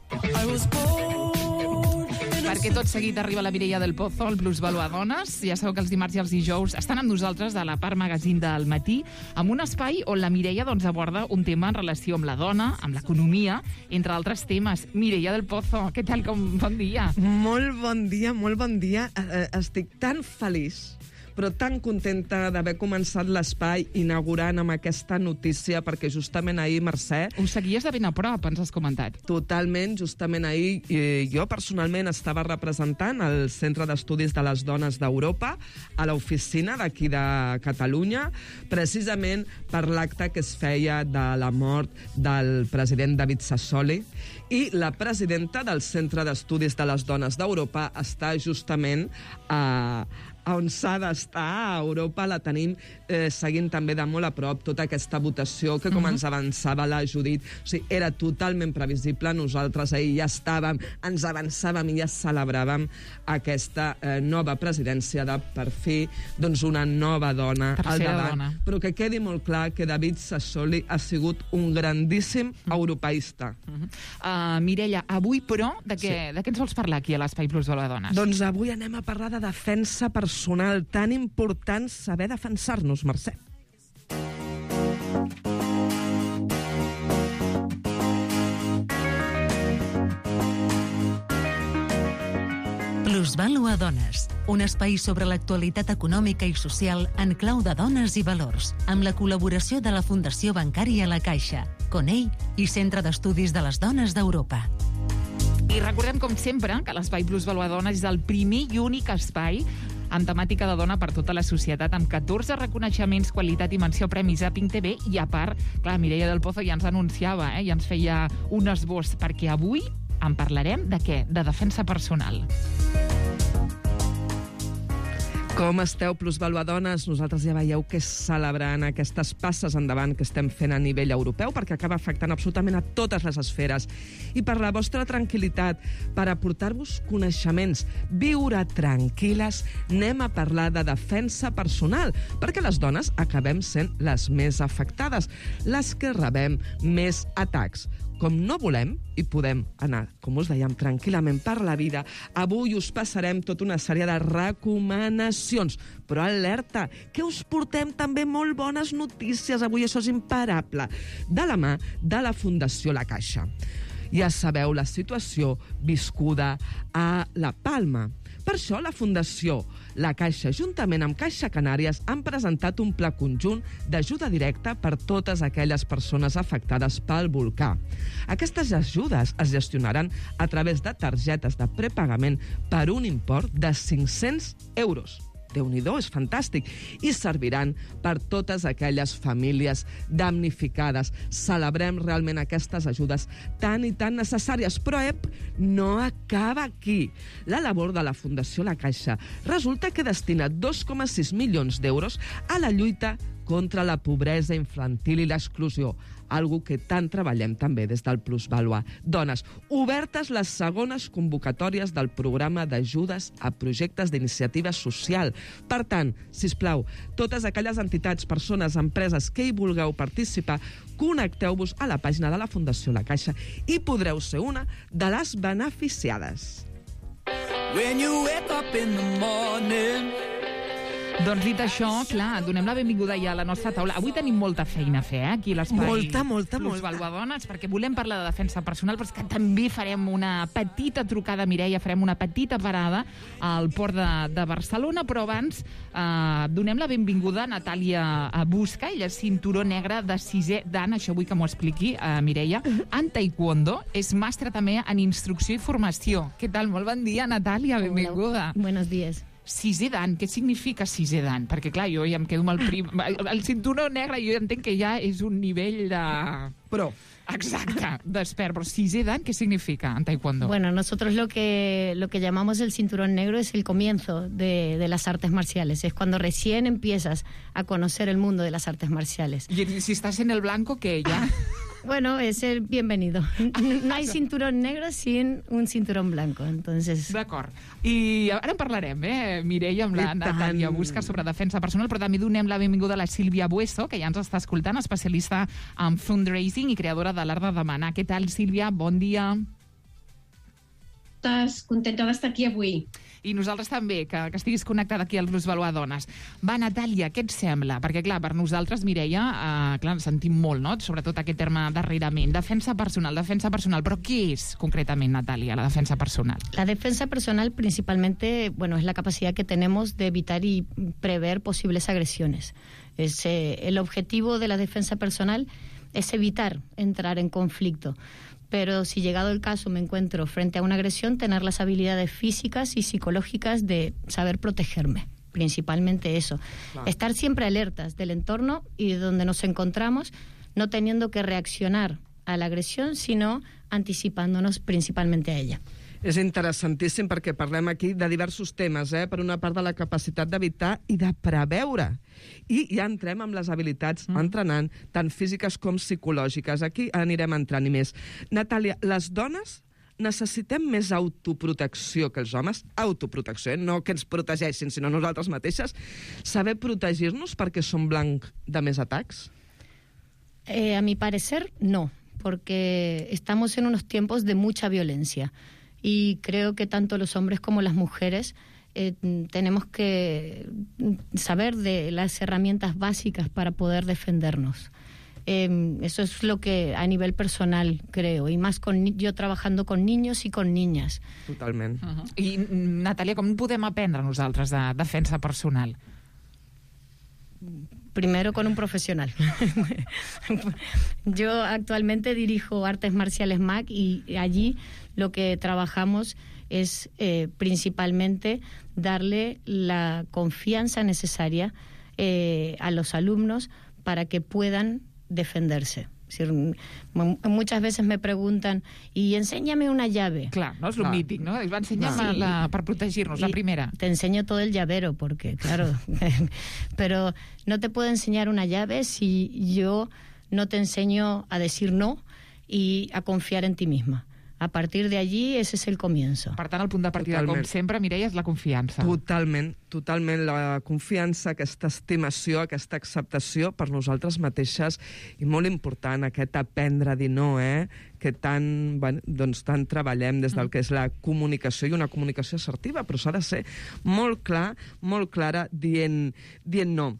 Perquè tot seguit arriba la Mireia del Pozo, el Plusvalua Dones. Ja sabeu que els dimarts i els dijous estan amb nosaltres de la Part Magazine del matí, amb un espai on la Mireia aborda un tema en relació amb la dona, amb l'economia, entre altres temes. Mireia del Pozo, què tal? Bon dia. Molt bon dia, molt bon dia. Estic tan feliç, però tan contenta d'haver començat l'espai inaugurant amb aquesta notícia, perquè justament ahir, Mercè... Ho seguies de ben a prop, ens has comentat. Totalment, justament ahir jo personalment estava representant el Centre d'Estudis de les Dones d'Europa a l'oficina d'aquí de Catalunya, precisament per l'acte que es feia de la mort del president David Sassoli, i la presidenta del Centre d'Estudis de les Dones d'Europa està justament on s'ha d'estar, a Europa. La tenim seguint també de molt a prop tota aquesta votació que, com ens avançava la Judit, o sigui, era totalment previsible. Nosaltres ahir ja estàvem, ens avançàvem i ja celebràvem aquesta nova presidència de, per fi, doncs una nova dona al davant. Però que quedi molt clar que David Sassoli ha sigut un grandíssim europeista. Mireia, avui, però, de què ens vols parlar aquí a l'Espai Plusvalua Dones? Doncs avui anem a parlar de defensa personal, tan important saber defensar-nos, Mercè. Plusvalua Dones, un espai sobre l'actualitat econòmica i social en clau de dones i valors, amb la col·laboració de la Fundació Bancària La Caixa, CONEI i Centre d'Estudis de les Dones d'Europa. I recordem, com sempre, que l'Espai Plusvalua Dones és el primer i únic espai amb temàtica de dona per tota la societat, amb 14 reconeixements, qualitat i menció premis a Pink TV, i a part, clar, Mireia del Pozo ja ens anunciava, ja ens feia un esbós, perquè avui en parlarem de què? De defensa personal. Com esteu, Plusvalua Dones? Nosaltres ja veieu que celebrant aquestes passes endavant que estem fent a nivell europeu, perquè acaba afectant absolutament a totes les esferes. I per la vostra tranquil·litat, per aportar-vos coneixements, viure tranquil·les, anem a parlar de defensa personal, perquè les dones acabem sent les més afectades, les que rebem més atacs. Com no volem i podem anar, com us dèiem, tranquil·lament per la vida, avui us passarem tota una sèrie de recomanacions. Però alerta, que us portem també molt bones notícies avui, això és imparable, de la mà de la Fundació La Caixa. Ja sabeu la situació viscuda a La Palma. Per això la Fundació La Caixa, juntament amb Caixa Canàries, han presentat un pla conjunt d'ajuda directa per totes aquelles persones afectades pel volcà. Aquestes ajudes es gestionaran a través de targetes de prepagament per un import de 500 euros. Déu-n'hi-do, és fantàstic. I serviran per totes aquelles famílies damnificades. Celebrem realment aquestes ajudes tan i tan necessàries. Però, no acaba aquí. La labor de la Fundació La Caixa resulta que destina 2,6 milions d'euros a la lluita contra la pobresa infantil i l'exclusió, algo que tant treballem també des del Plusvalua Dones. Obertes les segones convocatòries del programa d'ajudes a projectes d'iniciativa social. Per tant, sisplau, totes aquelles entitats, persones, empreses que hi vulgueu participar, connecteu-vos a la pàgina de la Fundació La Caixa i podreu ser una de les beneficiades. When you wake up in the morning. Doncs dit això, clar, donem la benvinguda ja a la nostra taula. Avui tenim molta feina a fer, aquí a l'espai Plusvalua Dones, perquè volem parlar de defensa personal, però és que també farem una petita trucada, Mireia, farem una petita parada al port de Barcelona, però abans donem la benvinguda a Natàlia Busca, ella és cinturó negre de 6è dan, això vull que m'ho expliqui, Mireia, en taekwondo, és mestra també en instrucció i formació. Què tal? Molt bon dia, Natàlia, benvinguda. Buenos días. 6è dan, què significa 6è dan? Perquè, clar, jo ja em quedo amb el cinturó negre, jo entenc que ja és un nivell de... Pro. Exacte, d'expert. Però 6è dan, ¿qué significa en taekwondo? Bueno, nosotros lo que llamamos el cinturón negro es el comienzo de las artes marciales. Es cuando recién empiezas a conocer el mundo de las artes marciales. Y si estás en el blanco, ¿qué ya? Bueno, es el bienvenido. No hay cinturón negro sin un cinturón blanco, entonces... D'acord. I ara en parlarem, Mireia, amb la Natàlia Busca sobre defensa personal, però també donem la benvinguda a la Sílvia Bueso, que ja ens està escoltant, especialista en fundraising i creadora de l'Art de Demanar. Què tal, Sílvia? Bon dia. Estàs contenta d'estar aquí avui. I nosaltres també, que estiguis connectada aquí al Plusvalor Dones. Va, Natàlia, què et sembla? Perquè, clar, per nosaltres, Mireia, ens sentim molt, no?, sobretot aquest terme darrerament. Defensa personal, però què és concretament, Natàlia, la defensa personal? La defensa personal principalmente, bueno, es la capacidad que tenemos de evitar y prever posibles agresiones. El objetivo de la defensa personal es evitar entrar en conflicto. Pero si llegado el caso me encuentro frente a una agresión, tener las habilidades físicas y psicológicas de saber protegerme. Principalmente eso. Claro. Estar siempre alertas del entorno y de donde nos encontramos, no teniendo que reaccionar a la agresión, sino anticipándonos principalmente a ella. És interessantíssim perquè parlem aquí de diversos temes, per una part de la capacitat d'evitar i de preveure. I ja entrem amb les habilitats entrenant, tant físiques com psicològiques. Aquí anirem entrant i més. Natàlia, les dones necessitem més autoprotecció que els homes? Autoprotecció, no que ens protegeixin, sinó nosaltres mateixes. Saber protegir-nos perquè som blanc de més atacs? A mi parecer, no, porque estamos en unos tiempos de mucha violencia. Y creo que tanto los hombres como las mujeres tenemos que saber de las herramientas básicas para poder defendernos. Eso es lo que a nivel personal creo, y más yo trabajando con niños y con niñas. Totalment. I, Natàlia, com podem aprendre nosaltres de defensa personal? Primero con un profesional. Yo actualmente dirijo Artes Marciales MAC y allí lo que trabajamos es principalmente darle la confianza necesaria a los alumnos para que puedan defenderse. Es decir, muchas veces me preguntan, y enséñame una llave. Clar, no és lo mític, no? Va, ensenya'm per protegir-nos, la primera. Te enseño todo el llavero, porque, claro, pero no te puedo enseñar una llave si yo no te enseño a decir no y a confiar en ti misma. A partir de allí, ese es el comienzo. Per tant, el punt de partida, com sempre, Mireia, és la confiança. Totalment, totalment. La confiança, aquesta estimació, aquesta acceptació per nosaltres mateixes, i molt important, aquest aprendre a dir no, que tant treballem des del que és la comunicació, i una comunicació assertiva, però s'ha de ser molt clar, molt clara, dient no.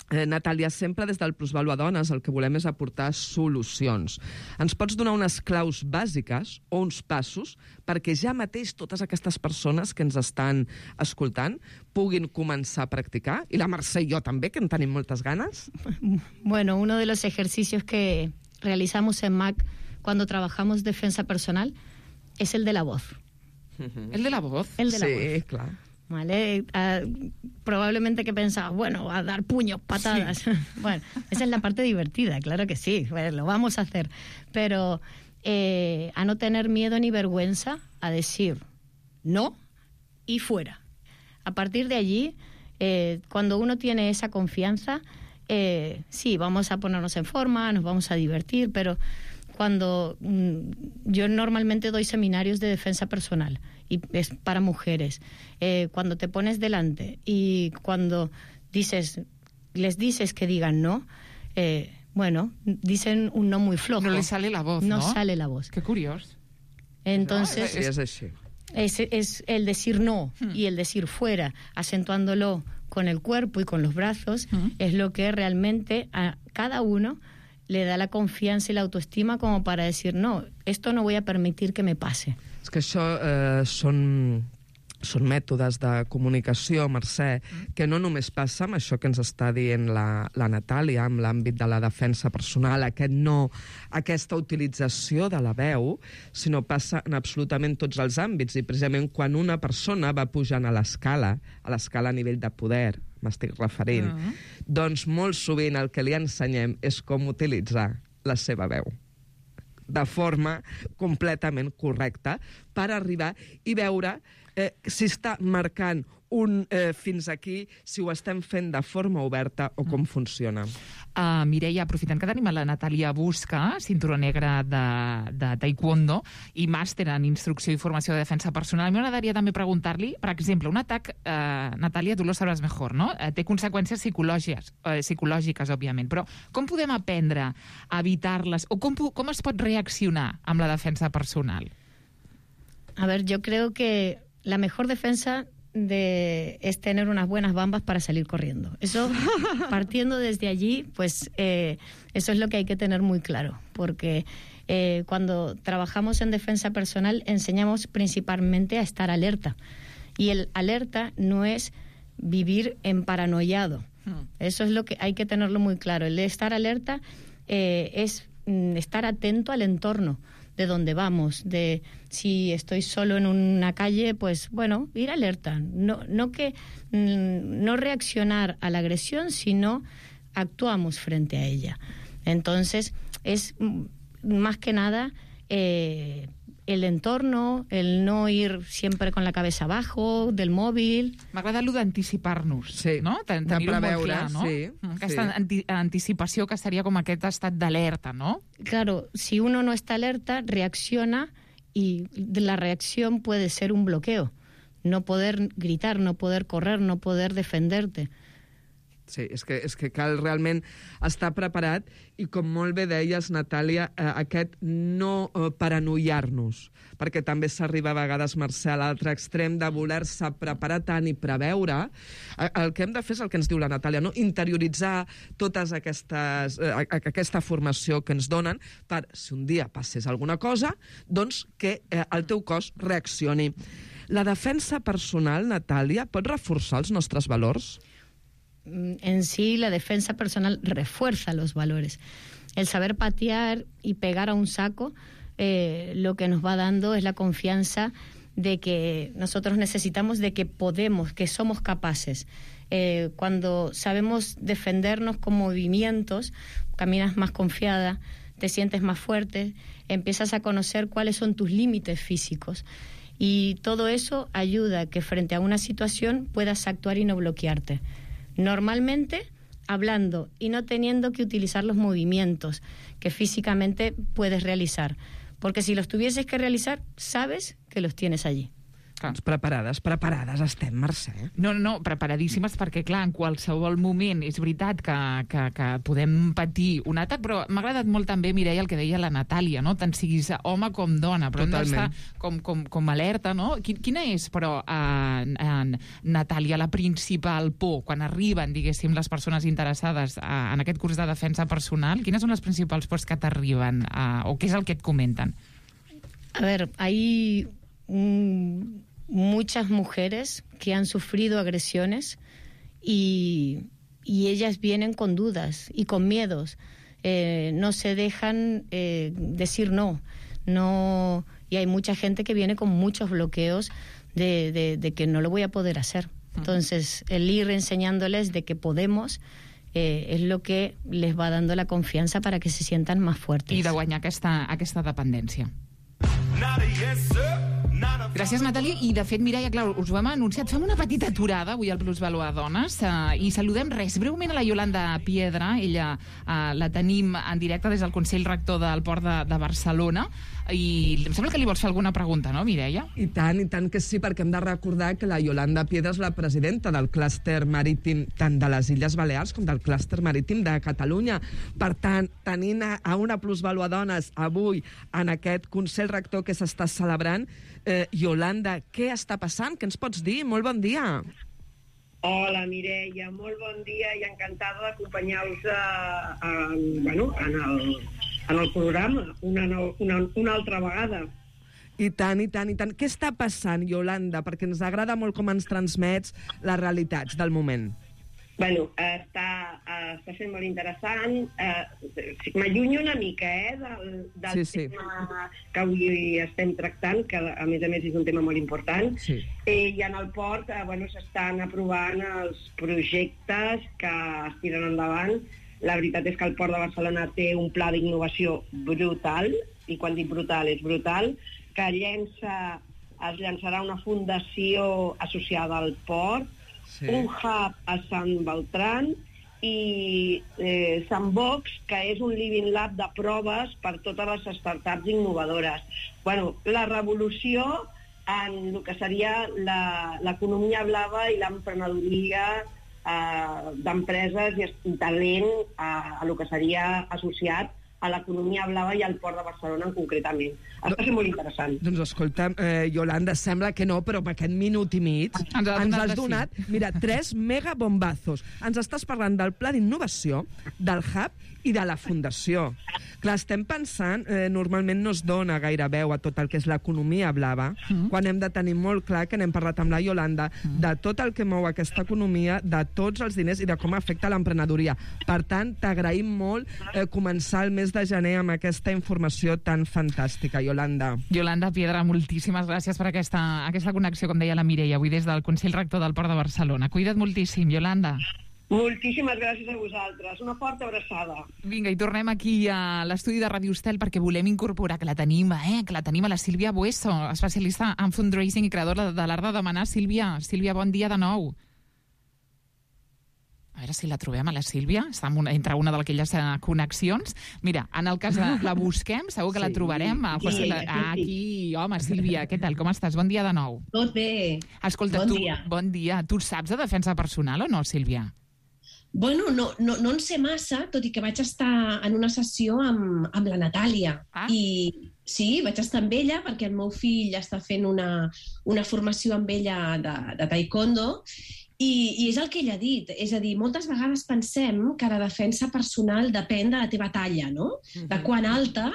Natàlia, sempre des del Plusvalor Dones el que volem és aportar solucions. Ens pots donar unes claus bàsiques o uns passos perquè ja mateix totes aquestes persones que ens estan escoltant puguin començar a practicar? I la Mercè i jo també, que en tenim moltes ganes. Bueno, uno de los ejercicios que realizamos en MAC cuando trabajamos defensa personal es el de la voz. ¿El de la voz? El de la voz. Sí, clar. ¿Vale? Probablemente que pensaba, bueno, a dar puños, patadas. Sí. Bueno, esa es la parte divertida, claro que sí, lo vamos a hacer. Pero a no tener miedo ni vergüenza a decir no y fuera. A partir de allí, cuando uno tiene esa confianza, sí, vamos a ponernos en forma, nos vamos a divertir, pero cuando yo normalmente doy seminarios de defensa personal y es para mujeres, cuando te pones delante y cuando les dices que digan no, bueno, dicen un no muy flojo. No les sale la voz, ¿no? No sale la voz. Qué curioso. Entonces, sí, es así. Es el decir no y el decir fuera, acentuándolo con el cuerpo y con los brazos, es lo que realmente a cada uno le da la confiança i l'autoestima com para decir, no, esto no voy a permitir que me pase. És que això són mètodes de comunicació, Mercè, que no només passa amb això que ens està dient la Natàlia, amb l'àmbit de la defensa personal, aquest no, aquesta utilització de la veu, sinó passa en absolutament tots els àmbits. I precisament quan una persona va pujant a l'escala a nivell de poder, m'estic referint, doncs molt sovint el que li ensenyem és com utilitzar la seva veu de forma completament correcta per arribar i veure si està marcant un fins aquí, si ho estem fent de forma oberta o com funciona. Mireia, aprofitant que tenim a la Natàlia Busca, cinturó negre de taekwondo i màster en instrucció i formació de defensa personal, a mi m'agradaria també preguntar-li, per exemple, un atac, Natàlia, tu lo sabràs mejor, no? Té conseqüències psicològiques, òbviament, però com podem aprendre a evitar-les o com es pot reaccionar amb la defensa personal? A ver, yo creo que la mejor defensa es tener unas buenas bambas para salir corriendo. Eso, partiendo desde allí, pues eso es lo que hay que tener muy claro, porque cuando trabajamos en defensa personal enseñamos principalmente a estar alerta, y el alerta no es vivir en paranoiado. Eso es lo que hay que tenerlo muy claro. El de estar alerta es estar atento al entorno, de dónde vamos, de si estoy solo en una calle, pues bueno, ir alerta, no reaccionar a la agresión, sino actuamos frente a ella. Entonces, es más que nada el entorno, el no ir siempre con la cabeza abajo del móvil. M'agrada allò d'anticipar-nos, sí, no? Tenir-ho molt clar, no? Sí, aquesta anticipació que seria com aquest estat d'alerta, ¿no? Claro, si uno no está alerta, reacciona, y la reacción puede ser un bloqueo. No poder gritar, no poder correr, no poder defenderte. Sí, és que cal realment estar preparat i, com molt bé deies, Natàlia, aquest no paranoiar-nos, perquè també s'arriba a vegades, Mercè, a l'altre extrem de voler-se preparar tant i preveure. El que hem de fer és el que ens diu la Natàlia, no? Interioritzar totes aquesta formació que ens donen per, si un dia passés alguna cosa, doncs que el teu cos reaccioni. La defensa personal, Natàlia, pot reforçar els nostres valors? En sí, la defensa personal refuerza los valores. El saber patear y pegar a un saco, lo que nos va dando es la confianza de que nosotros necesitamos, de que podemos, que somos capaces. Cuando sabemos defendernos con movimientos, caminas más confiada, te sientes más fuerte, empiezas a conocer cuáles son tus límites físicos. Y todo eso ayuda a que frente a una situación puedas actuar y no bloquearte. Normalmente hablando y no teniendo que utilizar los movimientos que físicamente puedes realizar. Porque si los tuvieses que realizar, sabes que los tienes allí. Doncs preparades estem, Mercè. No, preparadíssimes, perquè, clar, en qualsevol moment és veritat que podem patir un atac, però m'ha agradat molt també, Mireia, el que deia la Natàlia, no? Tant siguis home com dona, però totalment. Hem d'estar com alerta, no? Quina és, però, Natàlia, la principal por quan arriben, diguéssim, les persones interessades en aquest curs de defensa personal? Quines són les principals pors que t'arriben, o què és el que et comenten? A ver, hay muchas mujeres que han sufrido agresiones y ellas vienen con dudas y con miedos. No se dejan decir no, y hay mucha gente que viene con muchos bloqueos de que no lo voy a poder hacer. Entonces, el ir enseñándoles de que podemos es lo que les va dando la confianza para que se sientan más fuertes. I de guanyar aquesta dependència. Gràcies, Natàlia. I, de fet, Mireia, clar, us ho hem anunciat. Fem una petita aturada avui al Plusvalor Dones i saludem breument a la Yolanda Piedra. Ella la tenim en directe des del Consell Rector del Port de Barcelona. I em sembla que li vols fer alguna pregunta, no, Mireia? I tant que sí, perquè hem de recordar que la Yolanda Piedra és la presidenta del clúster marítim tant de les Illes Balears com del clúster marítim de Catalunya. Per tant, tenint a una Plusvalor Dones avui en aquest Consell Rector que s'està celebrant, Yolanda, què està passant? Què ens pots dir? Molt bon dia. Hola, Mireia, molt bon dia i encantada d'acompanyar-vos en el programa una altra vegada. I tant. Què està passant, Yolanda? Perquè ens agrada molt com ens transmets les realitats del moment. Bueno, està sent molt interessant. M'allunyo una mica del tema que avui estem tractant, que a més és un tema molt important. Sí. I en el port s'estan aprovant els projectes que es tiren endavant. La veritat és que el Port de Barcelona té un pla d'innovació brutal, i quan dic brutal és brutal, que llença es llançarà una fundació associada al port, un hub a Sant Beltran i Sandbox, que és un living lab de proves per totes les startups innovadores. La revolució en el que seria l'economia blava i l'emprenedoria d'empreses i talent a el que seria associat a l'economia blava i al Port de Barcelona concretament. Està sent molt interessant. Doncs escolta, Yolanda, sembla que no, però amb aquest minut i mig ens has donat, mira, 3 megabombazos. Ens estàs parlant del pla d'innovació, del hub i de la fundació. Clar, estem pensant, normalment no es dona gaire veu a tot el que és l'economia blava, quan hem de tenir molt clar, que n'hem parlat amb la Yolanda, de tot el que mou aquesta economia, de tots els diners i de com afecta l'emprenedoria. Per tant, t'agraïm molt començar el mes de gener amb aquesta informació tan fantàstica, Yolanda. Yolanda Piedra, moltíssimes gràcies per aquesta connexió, com deia la Mireia, avui des del Consell Rector del Port de Barcelona. Cuida't moltíssim, Yolanda. Moltíssimes gràcies a vosaltres. Una forta abraçada. Vinga, i tornem aquí a l'estudi de Ràdio Estel perquè volem incorporar, que la tenim a la Sílvia Bueso, especialista en fundraising i creadora de l'art de demanar. Sílvia, bon dia de nou. A veure si la trobem, a la Sílvia. Està entre una d'aquelles connexions. Mira, en el cas de la busquem, segur que la trobarem. Aquí, home, Sílvia, què tal? Com estàs? Bon dia de nou. Tot bé. Escolta, bon dia. Tu saps de defensa personal o no, Sílvia? Bueno, no en sé massa, tot i que vaig estar en una sessió amb la Natàlia. I sí, vaig estar amb ella perquè el meu fill està fent una formació amb ella de taekwondo i és el que ella ha dit. És a dir, moltes vegades pensem que la defensa personal depèn de la teva talla, no? De quan alta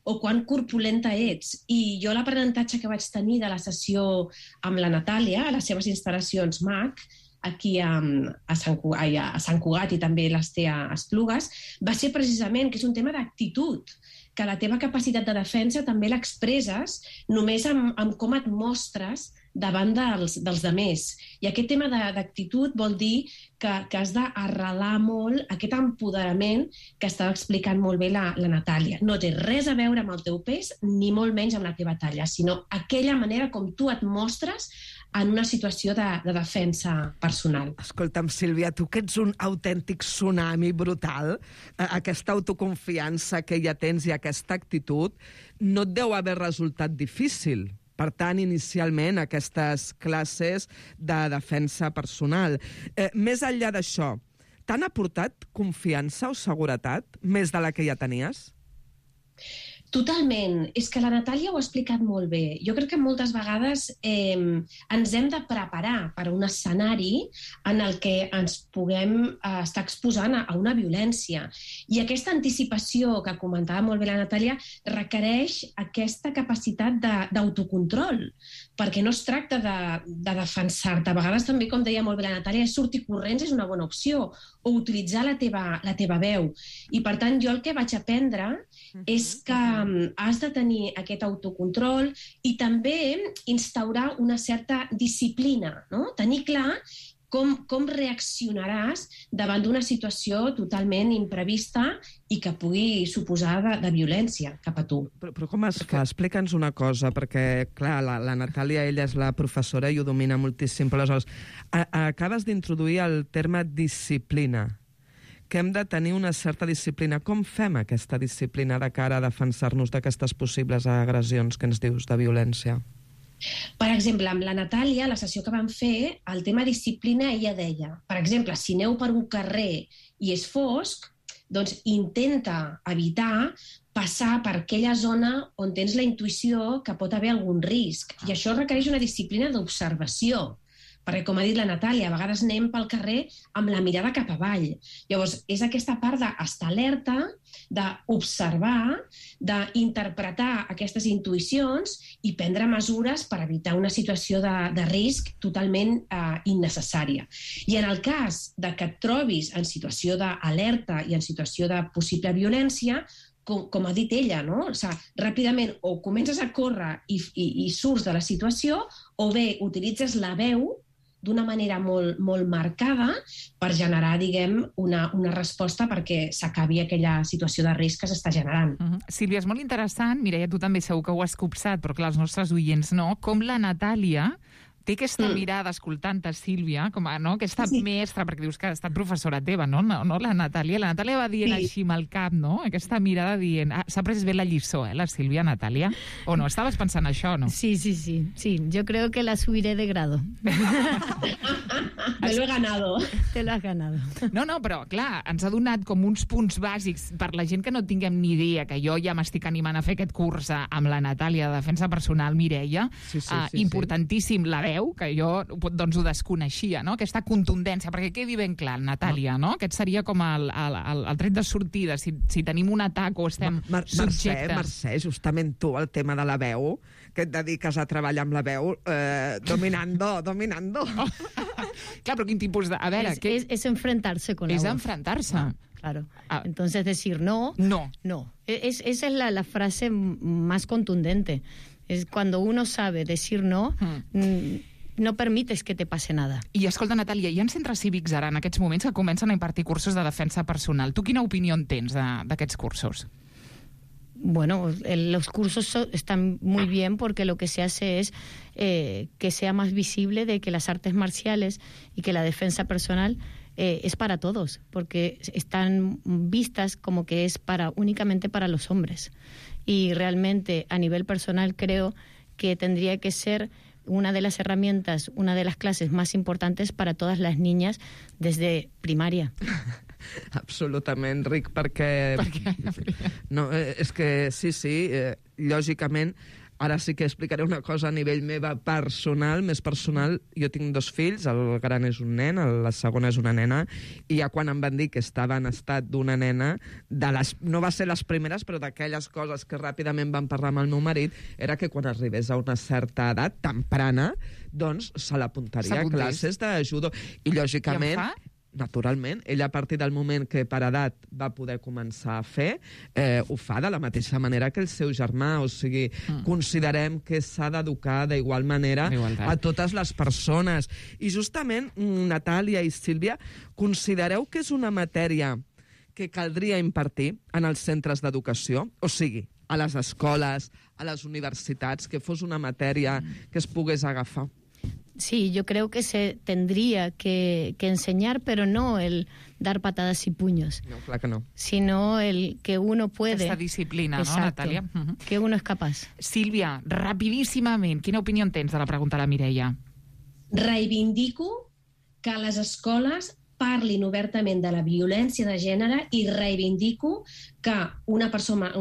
o quan corpulenta ets. I jo l'aprenentatge que vaig tenir de la sessió amb la Natàlia, a les seves instal·lacions MAC, aquí a Sant Cugat i també les té a Esplugues, va ser precisament que és un tema d'actitud, que la teva capacitat de defensa també l'expresses només amb com et mostres davant dels demés. I aquest tema d'actitud vol dir que has d'arrelar molt aquest empoderament que estava explicant molt bé la Natàlia. No té res a veure amb el teu pes, ni molt menys amb la teva talla, sinó aquella manera com tu et mostres en una situació de defensa personal. Escolta'm, Sílvia, tu que ets un autèntic tsunami brutal, aquesta autoconfiança que ja tens i aquesta actitud, no et deu haver resultat difícil. Per tant, inicialment, aquestes classes de defensa personal. Més enllà d'això, t'han aportat confiança o seguretat més de la que ja tenies? Totalment. És que la Natàlia ho ha explicat molt bé. Jo crec que moltes vegades ens hem de preparar per a un escenari en el que ens puguem estar exposant a una violència. I aquesta anticipació que comentava molt bé la Natàlia requereix aquesta capacitat d'autocontrol, perquè no es tracta de defensar-te. A vegades també, com deia molt bé la Natàlia, sortir corrents és una bona opció, o utilitzar la teva veu. I per tant, jo el que vaig aprendre és que has de tenir aquest autocontrol i també instaurar una certa disciplina, no? Tenir clar com reaccionaràs davant d'una situació totalment imprevista i que pugui suposar de violència cap a tu. Però com es fa? Explica'ns una cosa, perquè, clar, la Natàlia, ella és la professora i ho domina moltíssim, però aleshores acabes d'introduir el terme disciplina, que hem de tenir una certa disciplina. Com fem aquesta disciplina de cara a defensar-nos d'aquestes possibles agressions que ens dius de violència? Per exemple, amb la Natàlia, la sessió que vam fer, el tema disciplina, ella deia, per exemple, si aneu per un carrer i és fosc, doncs intenta evitar passar per aquella zona on tens la intuïció que pot haver algun risc. I això requereix una disciplina d'observació. Perquè, com ha dit la Natàlia, a vegades anem pel carrer amb la mirada cap avall. Llavors, és aquesta part d'estar alerta, d'observar, d'interpretar aquestes intuïcions i prendre mesures per evitar una situació de risc totalment innecessària. I en el cas de que et trobis en situació d'alerta i en situació de possible violència, com ha dit ella, no? O sigui, ràpidament o comences a córrer i surts de la situació, o bé utilitzes la veu d'una manera molt, molt marcada per generar, diguem, una resposta perquè s'acabi aquella situació de risc que s'està generant. Sílvia, és molt interessant, Mireia, tu també segur que ho has copsat, però clar, els nostres oients no, com la Natàlia té aquesta mirada escoltant-te, Sílvia, com a, no? Aquesta mestra, perquè dius que ha estat professora teva, no? No la Natàlia. La Natàlia va dient així amb el cap, no? Aquesta mirada dient... s'ha pres bé la lliçó, la Sílvia, Natàlia? O no? Estaves pensant això, no? Sí. Yo creo que la subiré de grado. Me lo he ganado. Te lo has ganado. No, però, clar, ens ha donat com uns punts bàsics per la gent que no tinguem ni idea, que jo ja m'estic animant a fer aquest curs amb la Natàlia de Defensa Personal, Mireia. Importantíssim la veu, que jo doncs ho desconeixia, no? Aquesta contundència, perquè quedi ben clar, Natàlia, no? Aquest seria com el tret de sortida, si tenim un atac o estem subjectes. Mercè, justament tu, el tema de la veu, que et dediques a treballar amb la veu, dominando. Clar, però quin tipus de... A veure, es enfrentarse con la voz. Es enfrentarse. Claro. Entonces decir no. Esa es la frase más contundente. Es cuando uno sabe decir no, no permites que te pase nada. I escolta, Natàlia, hi ha centres cívics ara en aquests moments que comencen a impartir cursos de defensa personal. Tu quina opinió en tens d'aquests cursos? Bueno, los cursos están muy bien porque lo que se hace es que sea más visible de que las artes marciales y que la defensa personal es para todos, porque están vistas como que es únicamente para los hombres. Y realmente, a nivel personal, creo que tendría que ser una de las herramientas, una de las clases más importantes para todas las niñas desde primaria. Absolutament, Ric, perquè... No, és que sí, lògicament, ara sí que explicaré una cosa a nivell meva personal, més personal. Jo tinc 2 fills, el gran és un nen, la segona és una nena, i ja quan em van dir que estava en estat d'una nena, no va ser les primeres, però d'aquelles coses que ràpidament van parlar amb el meu marit, era que quan arribés a una certa edat, temprana, doncs se l'apuntaria a classes de judo. I lògicament... I en fa? Naturalment, ella a partir del moment que per edat va poder començar a fer, ho fa de la mateixa manera que el seu germà, o sigui, considerem que s'ha d'educar d'igual manera a totes les persones. I justament, Natàlia i Sílvia, considereu que és una matèria que caldria impartir en els centres d'educació? O sigui, a les escoles, a les universitats, que fos una matèria que es pogués agafar? Sí, yo creo que se tendría que enseñar, pero no el dar patadas y puños. No, clar que no. Sino el que uno puede... Aquesta disciplina, exacto, no, Natàlia? Que uno es capaz. Sílvia, rapidíssimament, quina opinió en tens de la pregunta de la Mireia? Reivindico que a les escoles parlin obertament de la violència de gènere i reivindico que una persona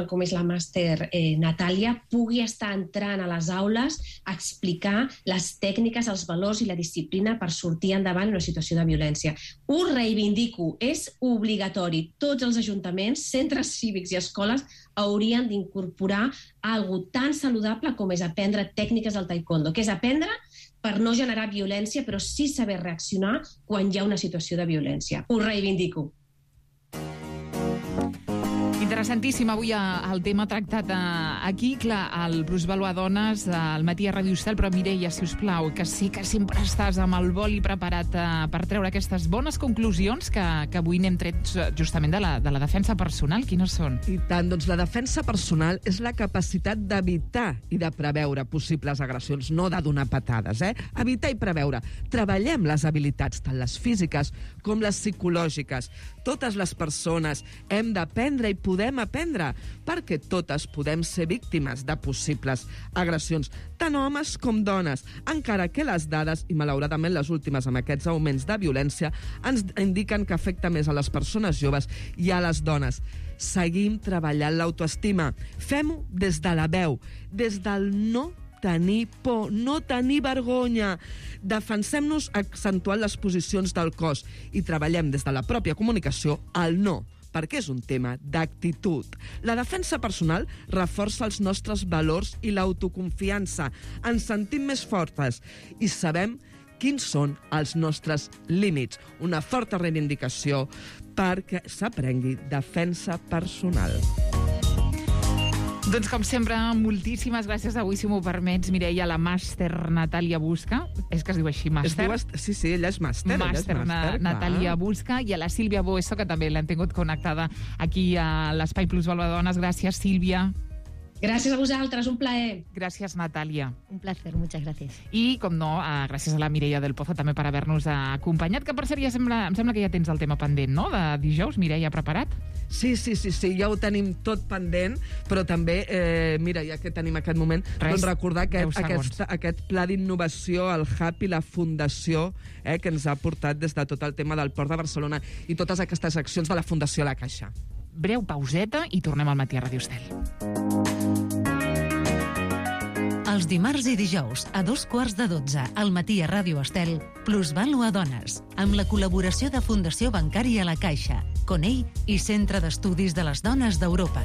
com és la màster Natàlia pugui estar entrant a les aules a explicar les tècniques, els valors i la disciplina per sortir endavant en una situació de violència. Ho reivindico, és obligatori. Tots els ajuntaments, centres cívics i escoles haurien d'incorporar algo tan saludable com és aprendre tècniques del taekwondo, que és aprendre per no generar violència, però sí saber reaccionar quan hi ha una situació de violència. Ho reivindico. Interessantíssim avui el tema tractat aquí, clar, el Bruce Valois Dones, al matí a Ràdio Estel, però Mireia, si us plau, que sí que sempre estàs amb el boli preparat per treure aquestes bones conclusions que avui n'hem tret justament de la defensa personal. Quines són? I tant, doncs la defensa personal és la capacitat d'evitar i de preveure possibles agressions, no de donar patades, Evitar i preveure. Treballem les habilitats, tant les físiques com les psicològiques. Totes les persones hem d'aprendre i podem aprendre, perquè totes podem ser víctimes de possibles agressions, tant homes com dones, encara que les dades, i malauradament les últimes amb aquests augments de violència, ens indiquen que afecta més a les persones joves i a les dones. Seguim treballant l'autoestima. Fem-ho des de la veu, des del no tenir por, no tenir vergonya. Defensem-nos accentuant les posicions del cos i treballem des de la pròpia comunicació al no, perquè és un tema d'actitud. La defensa personal reforça els nostres valors i l'autoconfiança. Ens sentim més fortes i sabem quins són els nostres límits. Una forta reivindicació perquè s'aprengui defensa personal. Doncs, com sempre, moltíssimes gràcies avui, si m'ho permets, Mireia, la màster Natàlia Busca. És que es diu així, màster? Sí, ella és màster. Màster Natàlia Busca, i a la Sílvia Boesso, que també l'hem tingut connectada aquí a l'Espai Plus Balbadones. Gràcies, Sílvia. Gràcies a vosaltres, un plaer. Gràcies, Natàlia. Un placer, muchas gracias. I, com no, gràcies a la Mireia del Pozo també per haver-nos acompanyat, que per cert em sembla que ja tens el tema pendent, no?, de dijous. Mireia, preparat? Sí, ja ho tenim tot pendent, però també, mira, ja que tenim aquest moment, doncs recordar aquest pla d'innovació, el Hub i la Fundació, que ens ha portat des de tot el tema del Port de Barcelona i totes aquestes accions de la Fundació La Caixa. Breu pauseta i tornem al matí a Radio Estel. Els dimarts i dijous, a 2:15 al matí a Ràdio Estel, Plusvàlua Dones, amb la col·laboració de Fundació Bancària La Caixa, Conell i Centre d'Estudis de les Dones d'Europa.